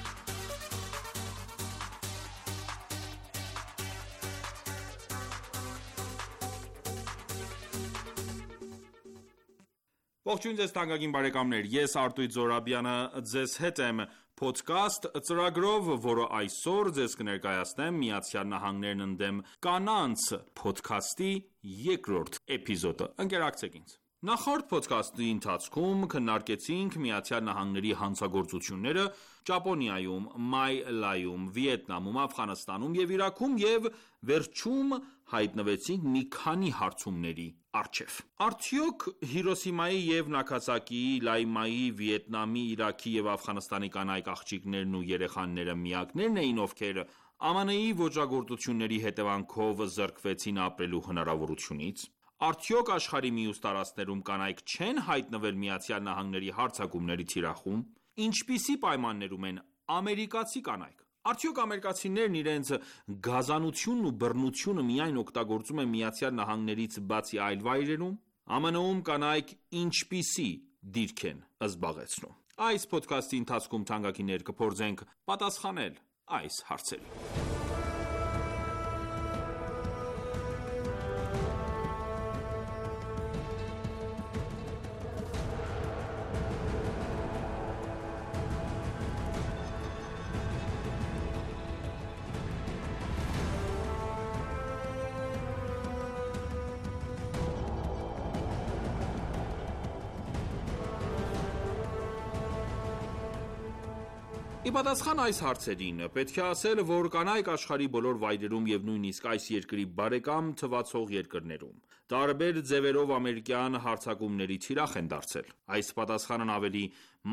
Ողջույն ձեզ թանկագին բարեկամներ, ես Արտույտ Զորաբյանը ձեզ հետ եմ podcast ծրագրով, որը այսօր ձեզ կներկայացնեմ Միացյալ Նահանգներն ընդդեմ կանանց podcast-ի երկրորդ էպիզոդը։ Ընկերակցեք ինձ։ Նախորդ podcast-ի ընթացքում քննարկեցինք Միացյալ Նահանգների հանցագործությունները Ճապոնիայում, Մալայում, Վիետնամում, Աֆղանստանում և Իրաքում և վերջում հայտնվեցինք մի քանի հարցումների առջև։ Արդյոք Հիրոսիմայի և Նագասակիի, Լայմայի, Վիետնամի, Իրաքի և Աֆղանստանի կանայք, աղջիկներն ու երեխաները միակնե՞րն էին, ովքեր Ամն Ի ոճրագործությունների հետևանքով զրկվեցին ապրելու հնարավորությունից։ Արդյոք աշխարհի մյուս տարածքներում կանայք չեն հայտնվել Միացյալ Նահանգների հարձակումների թիրախում։ Ինչպիսի պայմաններում են ամերիկացի կանայք։ Արդյոք ամերիկացիներն իրենց գազանությունն ու բռնությունը միայն օգտագործում են Միացյալ Նահանգներից բացի այլ վայրերում։ ԱՄՆ-ում կանայք ինչպիսի դիրք են զբաղեցնում։ Այս podcast-ի ընթացքում թանկագիններ կփորձենք պատասխանել այս հարցերին։ Ի պատասխան այս հարցերին, պետք է ասել, որ կանայք աշխարհի բոլոր վայրերում և նույնիսկ այս երկրի բարեկամ թվացող երկրներում, տարբեր ձևերով ամերիկյան հարձակումների թիրախ են դարձել։ Այս պատասխանն ավելի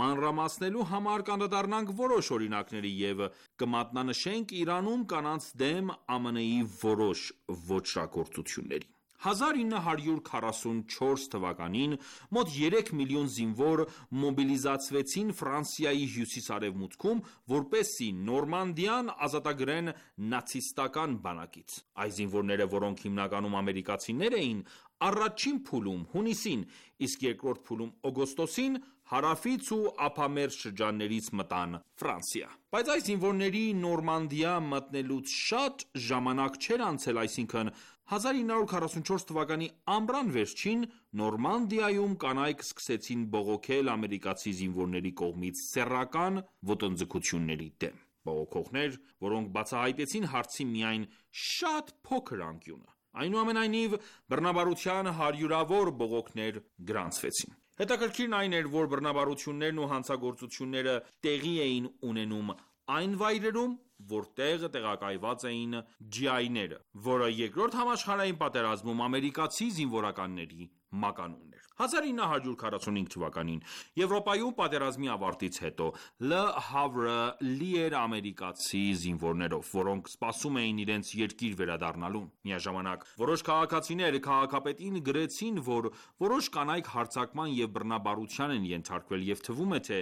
մանրամասնելու համար կանդրադառնանք որոշ օրինակների և կմատնանշենք Իրանում կանանց դեմ ԱՄՆ-ի որոշ ոճրագործությունների։ հազար ինը հարյուր քառասունչորս թվականին մոտ երեք միլիոն զինվոր մոբիլիզացվեցին Ֆրանսիայի հյուսիս-արևմուտքում, որպեսզի Նորմանդիան ազատագրեն նացիստական բանակից։ Այս զինվորները, որոնք հիմնականում ամերիկացիներ էին, առաջին փուլում հունիսին, իսկ երկրորդ փուլում օգոստոսին հարավից ու ափամերձ շրջաններից մտան Ֆրանսիա։ Բայց այս զինվորների Նորմանդիա մտնելուց շատ ժամանակ չէր անցել, այսինքն հազար ինը հարյուր քառասունչորս թվականի ամռան վերջին Նորմանդիայում կանայք սկսեցին բողոքել ամերիկացի զինվորների կողմից սեռական ոտնձգությունների դեմ։ Բողոքողներ, որոնք բացահայտեցին հարցի միայն շատ փոքր անկյունը։ Այնուամենայնիվ, բռնաբարության հարյուրավոր բողոքներ գրանցվեցին։ Հետաքրքիրն այն էր, որ բռնաբարություններն ու հանցագործությունները տեղի էին ունենում այն վայրերում, որտեղ տեղակայված էին ջի այ-ները, որը երկրորդ համաշխարհային պատերազմում ամերիկացի զինվորականների մականունն էր։ հազար ինը հարյուր քառասունհինգ թվականին Եվրոպայում պատերազմի ավարտից հետո Լը Հավրը լի էր ամերիկացի զինվորներով, որոնք սպասում էին իրենց երկիր վերադառնալուն։ Միաժամանակ որոշ քաղաքացիներ քաղաքապետին գրեցին, որ որոշ կանայք հարձակման և բռնաբարության են ենթարկվել, և թվում է, թե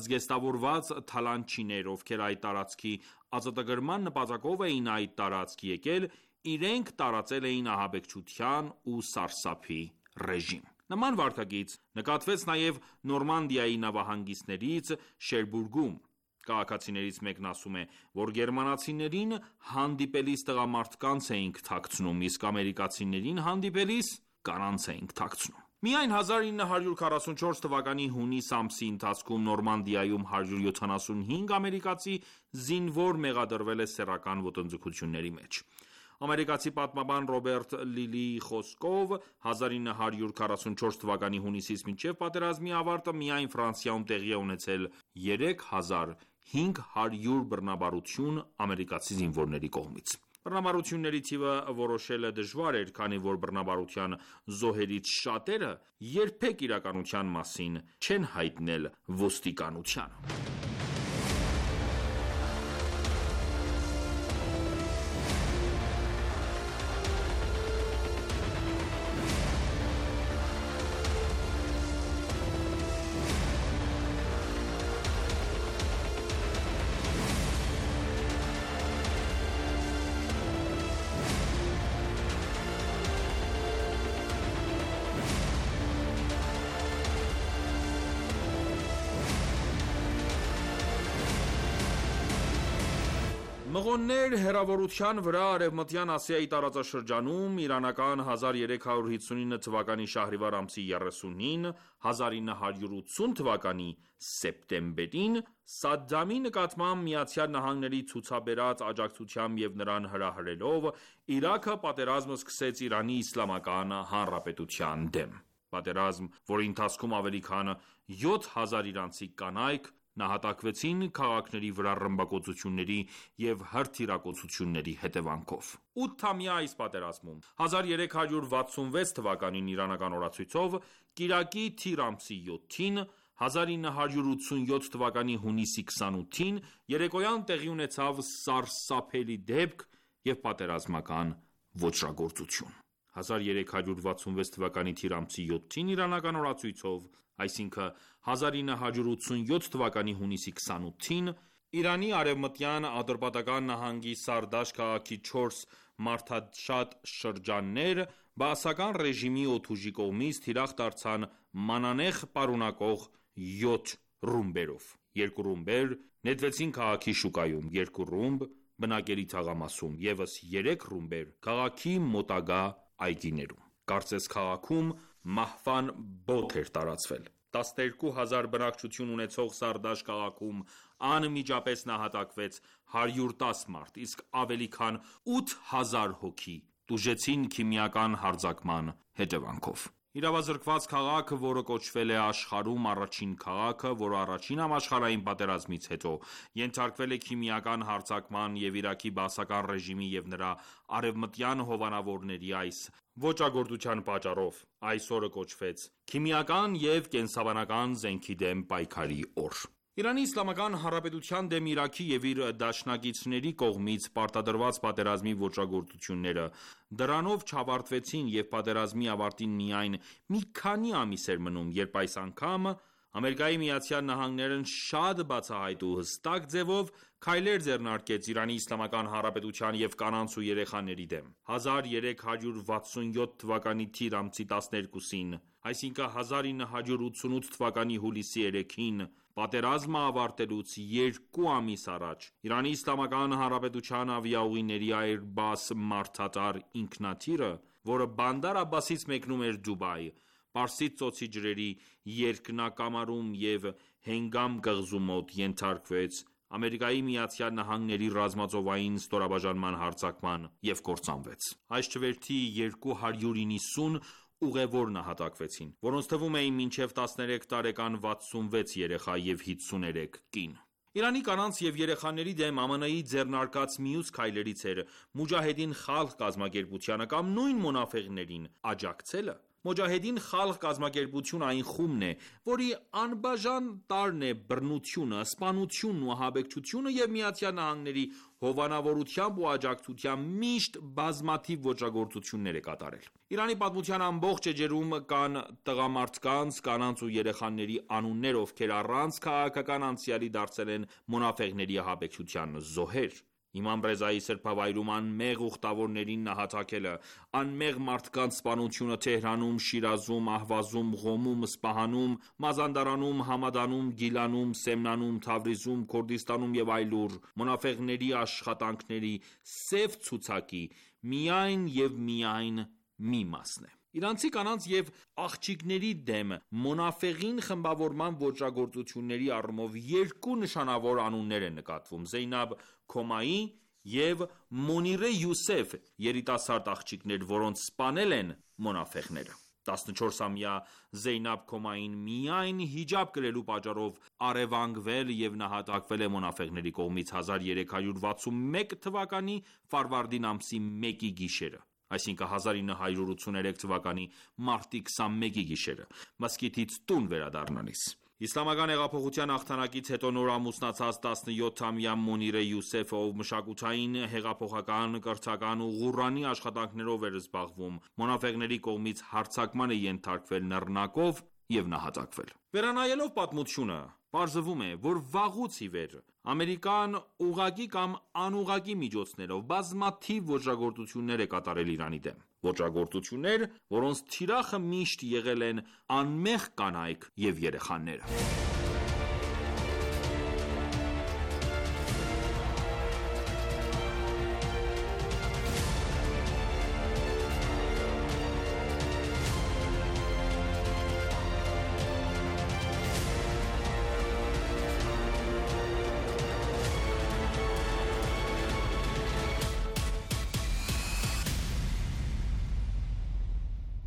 զգեստավորված թալանչիներ, ովքեր այդ տարածքի ազատագրման նպատակով էին այդ տարածք եկել, իրենք տարածել էին ահաբեկչության ու սարսափի ռեժիմ։ Նման վարքագիծ նկատվեց նաև Նորմանդիայի նավահանգիստներից Շերբուրգում։ Քաղաքացիներից մեկն ասում է, որ գերմանացիներին հանդիպելիս տղամարդկանց էինք թաքցնում, իսկ ամերիկացիներին հանդիպելիս կանանց էինք թաքցնում։ Միայն հազար ինը հարյուր քառասունչորս թվականի հունիս ամսի ընթացքում Նորմանդիայում հարյուր յոթանասունհինգ ամերիկացի զինվոր մեղադրվել է սեռական ոտնձգությունների մեջ։ Ամերիկացի պատմաբան Ռոբերտ Լիլիի խոսքով հազար ինը հարյուր քառասունչորս թվականի հունիսից մինչև պատերազմի ավարտը միայն Ֆրանսիայում տեղի է ունեցել երեք հազար հինգ հարյուր բռնաբարություն ամերիկացի զինվորների կողմից։ Բռնաբարությունների թիվը որոշելը դժվար էր, քանի որ բռնաբարության զոհերից շատերը երբեք իրականության մասին չեն հայտնել ոստիկանությանը։ Մղոններ հեռավորության վրա Արևմտյան Ասիայի տարածաշրջանում իրանական հազար երեք հարյուր հիսունինը թվականի շահրիվար ամսի երեսունին, հազար ինը հարյուր ութսուն թվականի սեպտեմբերին Սադդամի նկատմամբ Միացյալ Նահանգների ցուցաբերած աջակցությամբ և նրան հրահրելով Իրաքը պատերազմ սկսեց Իրանի Իսլամական Հանրապետության դեմ։ Պատերազմ, որի ընթացքում ավելի քան յոթ հազար իրանցի կանայք նահատակվեցին քաղաքների վրա ռմբակոծությունների և հրթիռակոծությունների հետևանքով։ Ութամյա այս պատերազմում հազար երեք հարյուր վաթսունվեց թվականին իրանական օրացույցով կիրակի թիր ամսի յոթին, հազար ինը հարյուր ութսունյոթ թվականի հունիսի քսանութին երեկոյան տեղի ունեցավ սարսափելի դեպք և պատերազմական ոճրագործություն։ հազար երեք հարյուր վաթսունվեց թվականի թիր ամսի յոթին իրանական օրացույցով, այսինքն հազար ինը հարյուր ութսունյոթ թվականի հունիսի քսանութին Իրանի արևմտյան Ատրպատական նահանգի Սարդաշ քաղաքի չորս մարդաշատ շրջաններ բաասական ռեժիմի օդուժի կողմից թիրախ դարձան մանանեխ պարունակող յոթ ռումբերով։ Երկու ռումբեր նետվեցին քաղաքի շուկայում, երկու ռումբ բնակելի թաղամասում, ևս երեք ռումբեր քաղաքի մոտակա այգիներում։ Կարծես քաղաքում մահվան բոթ էր տարածվել։ տասներկու հազար բնակչություն ունեցող Սարդաշ քաղաքում անմիջապես նահատակվեց հարյուր տասը մարդ, իսկ ավելի քան ութ հազար հոգի տուժեցին քիմիական հարձակման հետևանքով։ Իրավազրկված քաղաքը, որը կոչվել է աշխարհում առաջին քաղաքը, որը առաջին համաշխարհային պատերազմից հետո ենթարկվել է քիմիական հարձակման և Իրաքի բաասական ռեժիմի և նրա արևմտյան հովանավորների այս ոճրագործության պատճառով, այս օրը կոչվեց Քիմիական և կենսաբանական զենքի դեմ պայքարի օր։ Իրանի Իսլամական Հանրապետության դեմ Իրաքի և իր դաշնակիցների կողմից պարտադրված պատերազմի ոճրագործությունները դրանով չավարտվեցին և պատերազմի ավարտին միայն մի քանի ամիս էր մնում, երբ այս անգամ Ամերիկայի Միացյալ Նահանգներն շատ բացահայտ ու հստակ ձևով քայլեր ձեռնարկեց Իրանի Իսլամական Հանրապետության և կանանց ու երեխաների դեմ։ հազար երեք հարյուր վաթսունյոթ թվականի թիր ամսի տասներկուսին, այսինքն հազար ինը հարյուր ութսունութ թվականի հուլիսի երեքին, պատերազմը ավարտելուց երկու ամիս առաջ, Իրանի Իսլամական Հանրապետության ավիաուղիների Airbus մարդատար ինքնաթիռը, որը Բանդար Աբբասից մեկնում էր Դուբայ, Պարսից ծոցի ջրերի երկնակամարում և Հենգամ կղզու մոտ ենթարկվեց Ամերիկայի Միացյալ Նահանգների ռազմածովային ստորաբաժանման հարձակման և կործանվեց։ Այս չվերթի երկու հարյուր նվսուն ուղևոր նահատակվեցին, որոնց թվում էին մինչև տասներեք տարեկան վաթսունվեց երեխա և հինգսուներեք կին։ Իրանի կանանց և երեխաների դեմ ԱՄՆ-ի ձեռնարկած մյուս քայլերից էր Մուջահեդին Խալղ կազմակերպությանը կամ նույն մոնաֆեղներին աջակցելը։ Մոջահեդին Խալղ կազմակերպությունը այն խումբն է, որի անբաժան տարրն է բռնությունը, սպանությունն ու ահաբեկչությունը և ԱՄՆ-ի հովանավորությամբ ու աջակցությամբ միշտ բազմաթիվ ոճրագործություններ է կատարել։ Իրանի պատմության ամբողջ էջերում կան տղամարդկանց, կանանց ու երեխաների անուններ, ովքեր առանց քաղաքական անցյալի դարձել են մոնաֆեղների ահաբեկչության զոհեր։ Իմամ Ռեզայի սրբավայրում անմեղ ուխտավորներին նահատակելը, անմեղ մարդկանց սպանությունը Թեհրանում, Շիրազում, Ահվազում, Ղոմում, Սպահանում, Մազանդարանում, Համադանում, Գիլանում, Սեմնանում, Թավրիզում, Քորդիստանում և այլուր մոնաֆեղների աշխատանքների սև ցուցակի միայն և միայն մի մասն է։ Իրանցի կանանց և աղջիկների դեմ մոնաֆեղին խմբավորման ոճրագործությունների առումով երկու նշանավոր անուններ են նկատվում՝ Զեյնաբ Քոմայի և Մոնիրե Յուսեֆ, երիտասարդ աղջիկներ, որոնց սպանել են մոնաֆեղները։ տասնչորսամյա Զեյնաբ Քոմային միայն հիջաբ կրելու պատճառով առևանգվել և նահատակվել է մոնաֆեղների կողմից հազար երեք հարյուր վաթսունմեկ թվականի ֆարվարդին ամսի մեկի գիշերը, այսինքն հազար ինը հարյուր ութսուներեք թվականի մարտի քսանմեկի գիշերը, մզկիթից տուն վերադառնալիս։ Իսլամական հեղափոխության հաղթանակից հետո նոր ամուսնացած տասնյոթամյա Մոնիրե Յուսեֆը, ով մշակութային, հեղափոխական, կրթական ու Ղուրանի աշխատանքներով էր զբաղվում, մոնաֆեղների կողմից հարձակման է ենթարկվել նռնակով և նահատակվել։ Վերանայելով պատմությունը, պարզվում է, որ վաղուց ի վեր Ամերիկան ուղղակի կամ անուղղակի միջոցներով բազմաթիվ ոճրագործություններ է կատարել Իրանի դեմ, ոճրագործություններ, որոնց թիրախը միշտ եղել են անմեղ կանայք և երեխաները։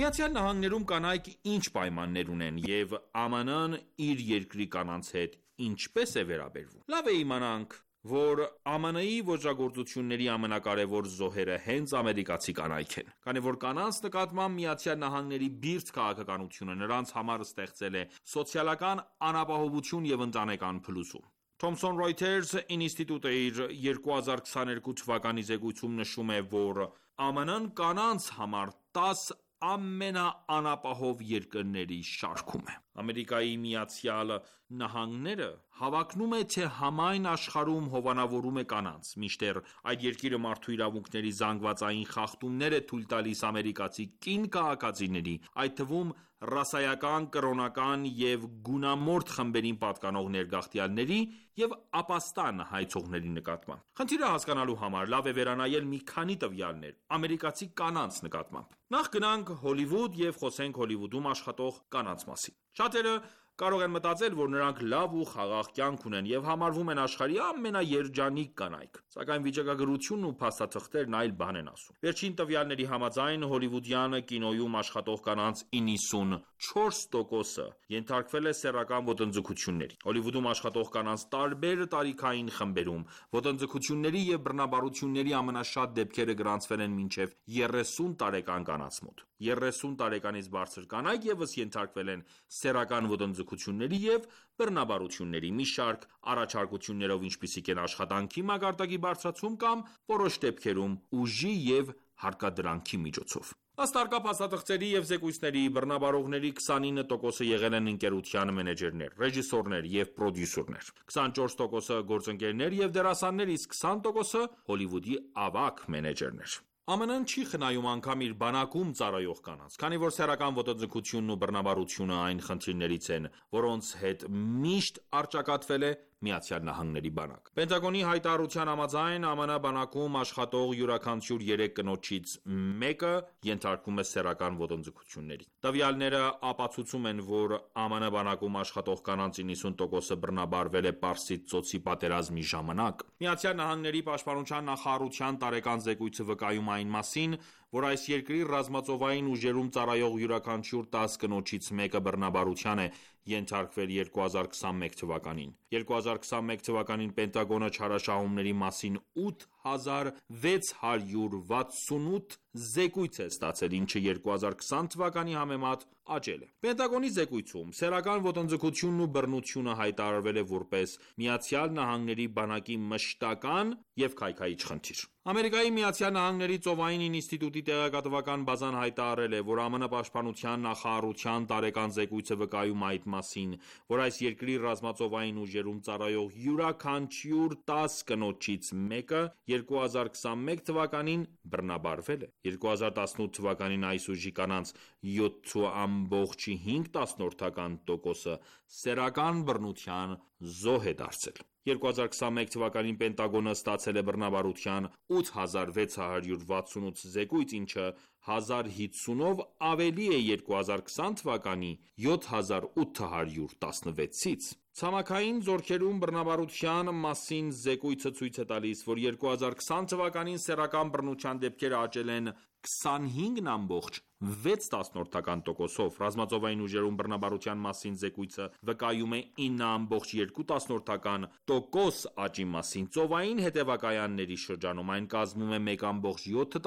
ԱՄՆ-ում կանայք ինչ պայմաններ ունեն և ԱՄՆ-ն իր երկրի կանանց հետ ինչպես է վերաբերվում։ Լավ է իմանանք, որ ԱՄՆ-ի ոճրագործությունների ամենակարևոր զոհերը հենց ամերիկացի կանայք են, քանի որ կանանց նկատմամբ ԱՄՆ-ի բիրտ քաղաքականությունը նրանց համար ստեղծել է սոցիալական անապահովություն և ընտանեկան փլուզում։ Thomson Reuters ինստիտուտը իր երկու հազար քսաներկու թվականի զեկույցում նշում է, որ ԱՄՆ-ն կանանց համար տաս ամենաանապահով երկրների շարքում է։ Ամերիկայի Միացյալ Նահանգները հավակնում է, թե համայն աշխարհում հովանավորում է կանանց, մինչդեռ այդ երկիրը մարդու իրավունքների զանգվածային խախտումներ է թույլ տալիս ամերիկացի կին քաղաքացիների, այդ թվում ռասայական, կրոնական և գունամորթ խմբերին պատկանող ներգաղթյալների և ապաստան հայցողների նկատմամբ։ Խնդիրը հասկանալու համար լավ է վերանայել մի քանի տվյալներ ամերիկացի կանանց նկատմամբ։ Նախ գնանք Հոլիվուդ և խոսենք Հոլիվուդում աշխատող կանանց մասին։ Շատերը կարող են մտածել, որ նրանք լավ ու խաղաղ կյանք ունեն և համարվում են աշխարհի ամենաերջանիկ կանայք, սակայն վիճակագրությունն ու փաստաթղթերն այլ բան են ասում։ Վերջին տվյալների համաձայն հոլիվուդյան կինոյում աշխատող կանանց իննսունչորս տոկոսը ենթարկվել է սեռական ոտնձգությունների։ Հոլիվուդում աշխատող կանանց տարբեր տարիքային խմբերում ոտնձգությունների և բռնաբարությունների ամենաշատ դեպքերը գրանցվել են մինչև երեսուն տարեկան կանանց մոտ։ երեսուն տարեկանից բարձր կանայք ևս ենթարկվել են սեռական ոտնձգությունների և բռնաբարությունների մի շարք առաջարկություններով, ինչպիսիք են աշխատանքի մակարդակի բարձրացում կամ որոշ դեպքերում ուժի և հարկադրանքի միջոցով։ Ըստ առկա փաստաթղթերի և զեկույցների, բռնաբարողների քսանինը տոկոսը եղել են ընկերության մենեջերներ, ռեժիսորներ և պրոդյուսերներ, քսանչորս տոկոսը գործընկերներ և դերասաններ, իսկ քսան տոկոսը Հոլիվուդի ավագ մենեջերներ։ ԱՄՆ-ն չի խնայում անգամ իր բանակում ծառայող կանանց, քանի որ սեռական ոտնձգությունն ու բռնաբարությունը այն խնդիրներից են, որոնց հետ միշտ առճակատվել է ԱՄՆ-ի բանակ։ Պենտագոնի հայտարարության համաձայն ԱՄՆ բանակում աշխատող յուրաքանչյուր երեք կնոջից մեկը ենթարկվում է սեռական ոտնձգությունների։ Տվյալները ապացուցում են, որ ԱՄՆ բանակում աշխատող կանանց իննսուն տոկոսը բռնաբարվել է Պարսից ծոցի պատերազմի ժամանակ։ ԱՄՆ պաշտպանության նախարարության տարեկան զեկույցը վկայում է այն մասին, որ այս երկրի ռազմածովային ուժերում ծառայող յուրաքանչյուր տաս կնոջից մեկը բռնաբարության է ենթարկվել երկու հազար քսանմեկ թվականին։ երկու հազար քսանմեկ թվականին Պենտագոնը չարաշահումների մասին ութ հազար վեց հարյուր վաթսունութ զեկույց է ստացել, ինչը երկու հազար քսան թվականի համեմատ աճել է։ Պենտագոնի զեկույցում սեռական ոտնձգությունն ու բռնությունը հայտարարվել է որպես Միացյալ Նահանգների բանակի մշտական և քայքայիչ խնդիր։ Ամերիկայի Միացյալ Նահանգների ծովային ինստիտուտի տեղեկատվական բազան հայտարարել է, որ ԱՄՆ պաշտպանության նախարարության տարեկան զեկույցը վկայում է այդ մասին, որ այս երկրի ռազմածովային ուժերում ծառայող յուրաքանչյուր տաս կնոջից մեկը երկու հազար քսանմեկ թվականին բռնաբարվել է։ երկու հազար տասնութ թվականին այս ուժի կանանց յոթ ամբողջ հինգ տոկոսը սեռական բռնության զոհ է դարձել։ երկու հազար քսանմեկ թվականին Պենտագոնը ստացել է բռնաբարության ութ հազար վեց հարյուր վաթսունութ զեկույց, ինչը հազար հիսունով ավելի է երկու հազար քսան թվականի յոթ հազար ութ հարյուր տասնվեցից։ Ցամաքային զորքերում բռնաբարության մասին զեկույցը ցույց է տալիս, որ երկու հազար քսան թվականին սեռական բռնության դեպքերը աճել են քսանհինգ ամբողջ վեց տոկոսով, ռազմածովային ուժերում բռնաբարության մասին զեկույցը վկայում է ինը ամբողջ երկու տոկոս աճի մասին, ծովային հետևակայանների շրջանում այն կազմում է մեկ ամբողջ յոթ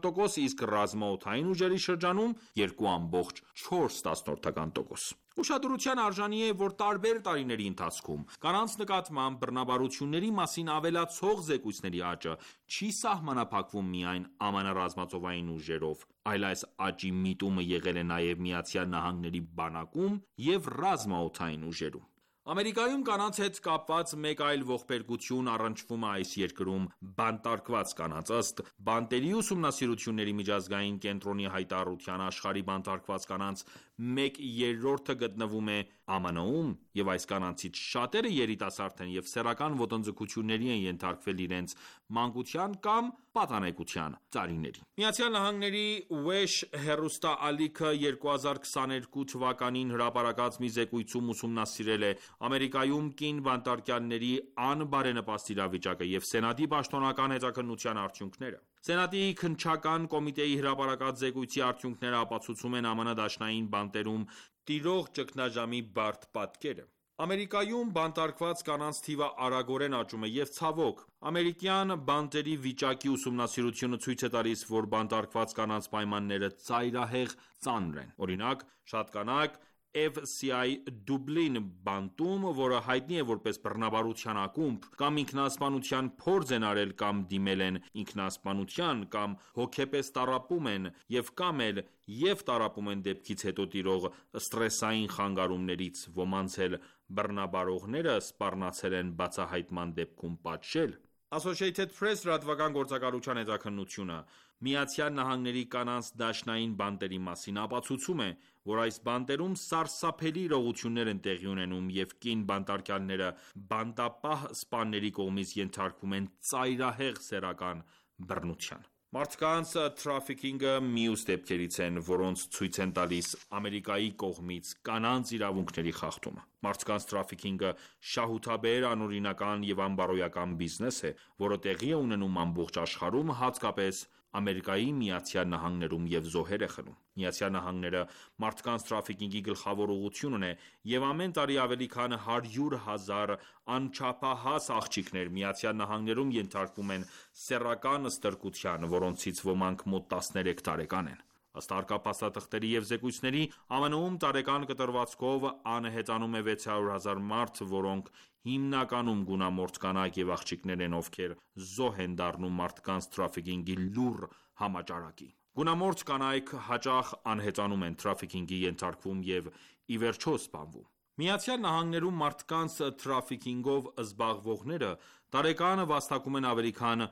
տոկոս, իսկ ռազմաօդային ուժերի շրջանում երկու ամբողջ չորս տոկոս։ Ուշադրության արժանի է, որ տարբեր տարիների ընթացքում կանանց նկատմամբ բռնաբարությունների մասին ավելացող զեկույցների աճը չի սահմանափակվում միայն ԱՄՆ ռազմածովային ուժերով, այլ այս աճի միտումը եղել է նաև Միացյալ Նահանգների բանակում և ռազմաօդային ուժերում։ Ամերիկայում կանանց հետ կապված մեկ այլ ողբերգություն առնչվում է այս երկրում բանտարկված կանանց։ Ըստ բանտերի ուսումնասիրությունների միջազգային կենտրոնի հայտարարության, աշխարհի բանտարկված կանանց մեկ երրորդը գտնվում է ԱՄՆ-ում, և այս կանանցից շատերը երիտասարդ են և սեռական ոտնձգությունների են ենթարկվել իրենց մանկության կամ պատանեկության տարիներին։ Միացյալ Նահանգների Wesh հեռուստաալիքը երկու հազար քսաներկու թվականին հրապարակած մի զեկույցում ուսումնասիրել է Ամերիկայում կին բանտարկյալների անբարենպաստ իրավիճակը և Սենատի պաշտոնական հետաքննության արդյունքները։ Սենատի քննչական կոմիտեի հրապարակած զեկույցի արդյունքները ապացուցում են ԱՄՆ դաշնային բանտերում տիրող ճգնաժամի բարդ պատկերը։ Ամերիկայում բանտարկված կանանց թիվը արագորեն աճում է և ցավոք, ամերիկյան բանտերի վիճակի ուսումնասիրությունը ցույց է տալիս, որ բանտարկված կանանց պայմանները ծայրահեղ ծանր են։ Օրինակ, շատ կանայք F C I Dublin բանտում, որը հայտնի է որպես բռնաբարության ակումբ, կամ ինքնասպանության փորձ են արել կամ դիմել են ինքնասպանության, կամ հոգեպես տառապում են և կամ էլ և տառապում են դեպքից հետո տիրող սթրեսային խանգարումներից, ոմանց էլ բռնաբարողները սպառնացել են բացահայտման դեպքում պատժել։ Associated Press լրատվական գործակալության հետաքննությունը Միացյալ Նահանգների կանանց դաշնային բանտերի մասին ապացուցում է, որ այս բանտերում սարսափելի իրողություններ են տեղի ունենում և կին բանտարկյալները բանտապահ սպաների կողմից ենթարկվում են ծայրահեղ սեռական բռնության։ Մարդկանց թրաֆիքինգը մյուս դեպքերից են, որոնց ցույց են տալիս Ամերիկայի կողմից կանանց իրավունքների խախտումը։ Մարդկանց թրաֆիքինգը շահութաբեր, անօրինական և անբարոյական բիզնես է, որը տեղի է ունենում ամբողջ աշխարհում, հատկապես Ամերիկայի Միացյալ Նահանգներում և զոհեր է խլում։ Միացյալ Նահանգները մարդկանց թրաֆիքինգի գլխավոր ուղղությունն է, և ամեն տարի ավելի քան հարյուր հազար անչափահաս աղջիկներ Միացյալ Նահանգներում ենթարկվում են սեռական ստրկության, որոնցից ոմանք մոտ տասներեք տարեկան են։ Ըստ առկա փաստաթղթերի և զեկույցների, ԱՄՆ-ում տարեկան կտրվածքով անհետանում է վեց հարյուր հազար մարդ, որոնք հիմնականում գունամորթ կանայք և աղջիկներ են, ովքեր զոհ են դառնում մարդկանց թրաֆիքինգի լուռ համաճարակի։ Գունամորթ կանայք հաճախ անհետանում են, թրաֆիքինգի ենթարկվում և ի վերջո սպանվում։ Միացյալ Նահանգներում մարդկանց թրաֆիքինգով զբաղվողները տարեկան վաստակում են ավելի քան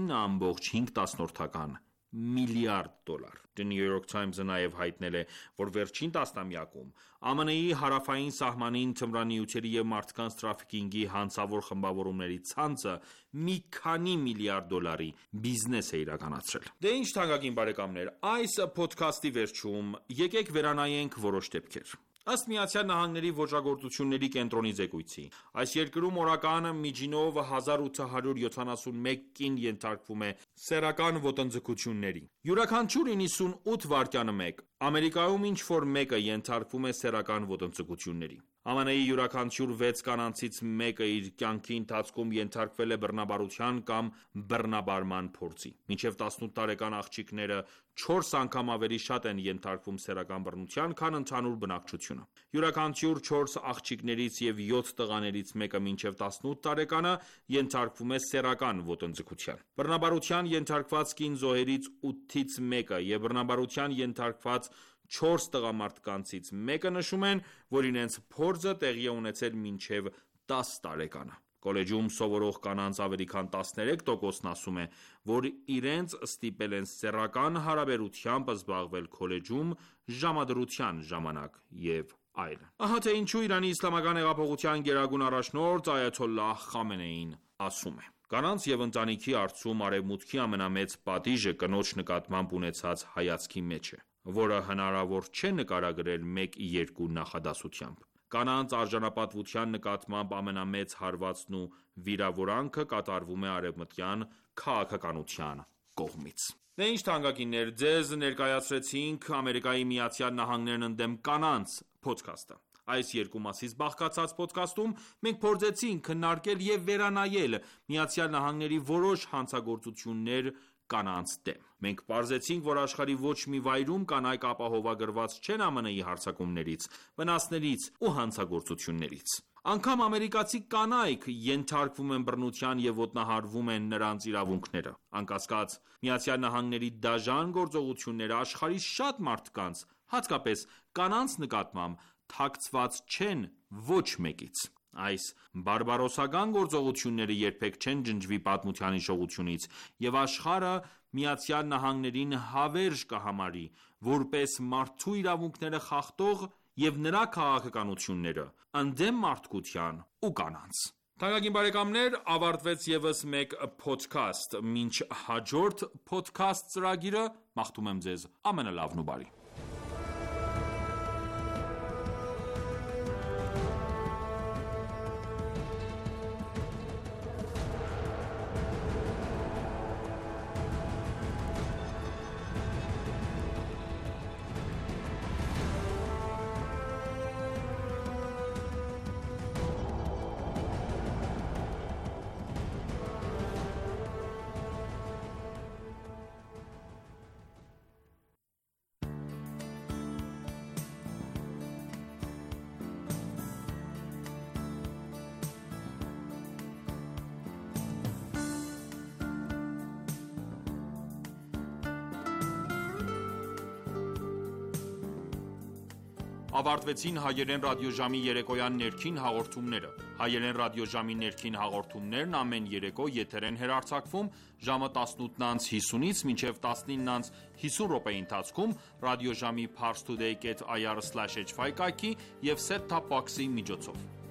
ինը ամբողջ հինգ միլիարդ դոլար։ The New York Times-ը նաև հայտնել է, որ վերջին տասնամյակում ԱՄՆ-ի հարավային սահմանին թմրանյութերի և մարդկանց թրաֆիքինգի հանցավոր խմբավորումների ցանցը մի քանի միլիարդ դոլարի բիզնես է իրականացրել։ Դե ինչ թանկագին բարեկամներ, այս փոդքասթի վերջում եկեք վերանայենք որոշ դեպքեր։ Ըստ Միացյալ Նահանգների ոճրագործությունների կենտրոնի զեկույցի, այս երկրում օրական միջինով հազար ութ հարյուր յոթանասունմեկ կին ենթարկվում է սեռական ոտնձգությունների։ Յուրաքանչյուր իննսունութ վայրկյանը մեկ Ամերիկայում ինչ-որ մեկը ենթարկվում է սեռական ոտնձգությունների։ ԱՄՆ-ի յուրաքանչյուր վեց կանանցից մեկը իր կյանքի ընթացքում ենթարկվել է բռնաբարության կամ բռնաբարման փորձի։ Մինչև տասնութ տարեկան աղջիկները չորս անգամ ավելի շատ են ենթարկվում սեռական բռնության, քան ընդհանուր բնակչությունը։ Յուրաքանչյուր չորս աղջիկներից և յոթ տղաներից մեկը մինչև տասնութ տարեկանը ենթարկվում է սեռական ոտնձգության։ Բռնաբարության ենթարկված կին զոհերից ութից մեկը և բռնաբարության ենթարկված չորս տղամարդկանցից մեկը նշում են, որ իրենց փորձը տեղի է ունեցել մինչև տասը տարեկանը։ Կոլեջում սովորող կանանց ավելի քան տասներեք տոկոսն ասում է, որ իրենց ստիպել են սեռական հարաբերությամբ զբաղվել քոլեջում ժամադրության ժամանակ և այլն։ Ահա թե ինչու Իրանի իսլամական հեղափոխության գերագույն առաջնորդ Այաթոլլահ Խամենեին ասում է. «Կանանց և ընտանիքի առջում Արևմուտքի ամենամեծ պատիժը կնոջ նկատմամբ ունեցած հայացքի մեջ է, որը հնարավոր չէ նկարագրել մեկ-երկու նախադասությամբ։ Կանանց արժանապատվության նկատմամբ ամենամեծ հարվածն ու վիրավորանքը կատարվում է արևմտյան քաղաքականության կողմից»։ Դե ինչ թանկագիններ, ձեզ ներկայացրեցինք «Ամերիկայի Միացյալ Նահանգներն ընդդեմ կանանց» փոդքասթը։ Այս երկու մասից բաղկացած փոդքասթում մենք փորձեցինք քննարկել և վերանայել ԱՄՆ-ի որոշ հանցագործություններ կանանց դեմ։ Մենք պարզեցինք, որ աշխարհի ոչ մի վայրում կանայք ապահովագրված չեն ԱՄՆ-ի հարձակումներից, վնասներից ու հանցագործություններից։ Անգամ ամերիկացի կանայք ենթարկվում են բռնության և ոտնահարվում են նրանց իրավունքները։ Անկասկած, ԱՄՆ-ի դաժան գործողությունները աշխարհի շատ մարդկանց, հատկապես կանանց նկատմամբ թաքցված չեն ոչ մեկից։ Այս բարբարոսական գործողությունները երբեք չեն ջնջվի պատմության հիշողությունից, և աշխարհը ԱՄՆ-ին հավերժ կհամարի, որպես մարդու իրավունքները խախտող և նրա քաղաքականությունները ընդդեմ մարդկության ու կանանց։ Թանկագին բարեկամներ, ավարտվեց ևս մեկ փոդքասթ։ Մինչ հաջորդ փոդքասթ ծրագիրը, մաղթում եմ ձեզ ամենալավն ու բարին։ Ավարտվեցին հայերեն ռադիոժամի երեկոյան ներքին հաղորդումները։ Հայերեն ռադիոժամի ներքին հաղորդումներն ամեն երեկո եթեր են հեռարձակվում ժամը տասնութն անց հիսունից մինչև տասնինն անց հիսուն րոպեի ընթացքում ռադիոժամի parstoday dot ir slash h five կայքի և set top box-ի միջոցով։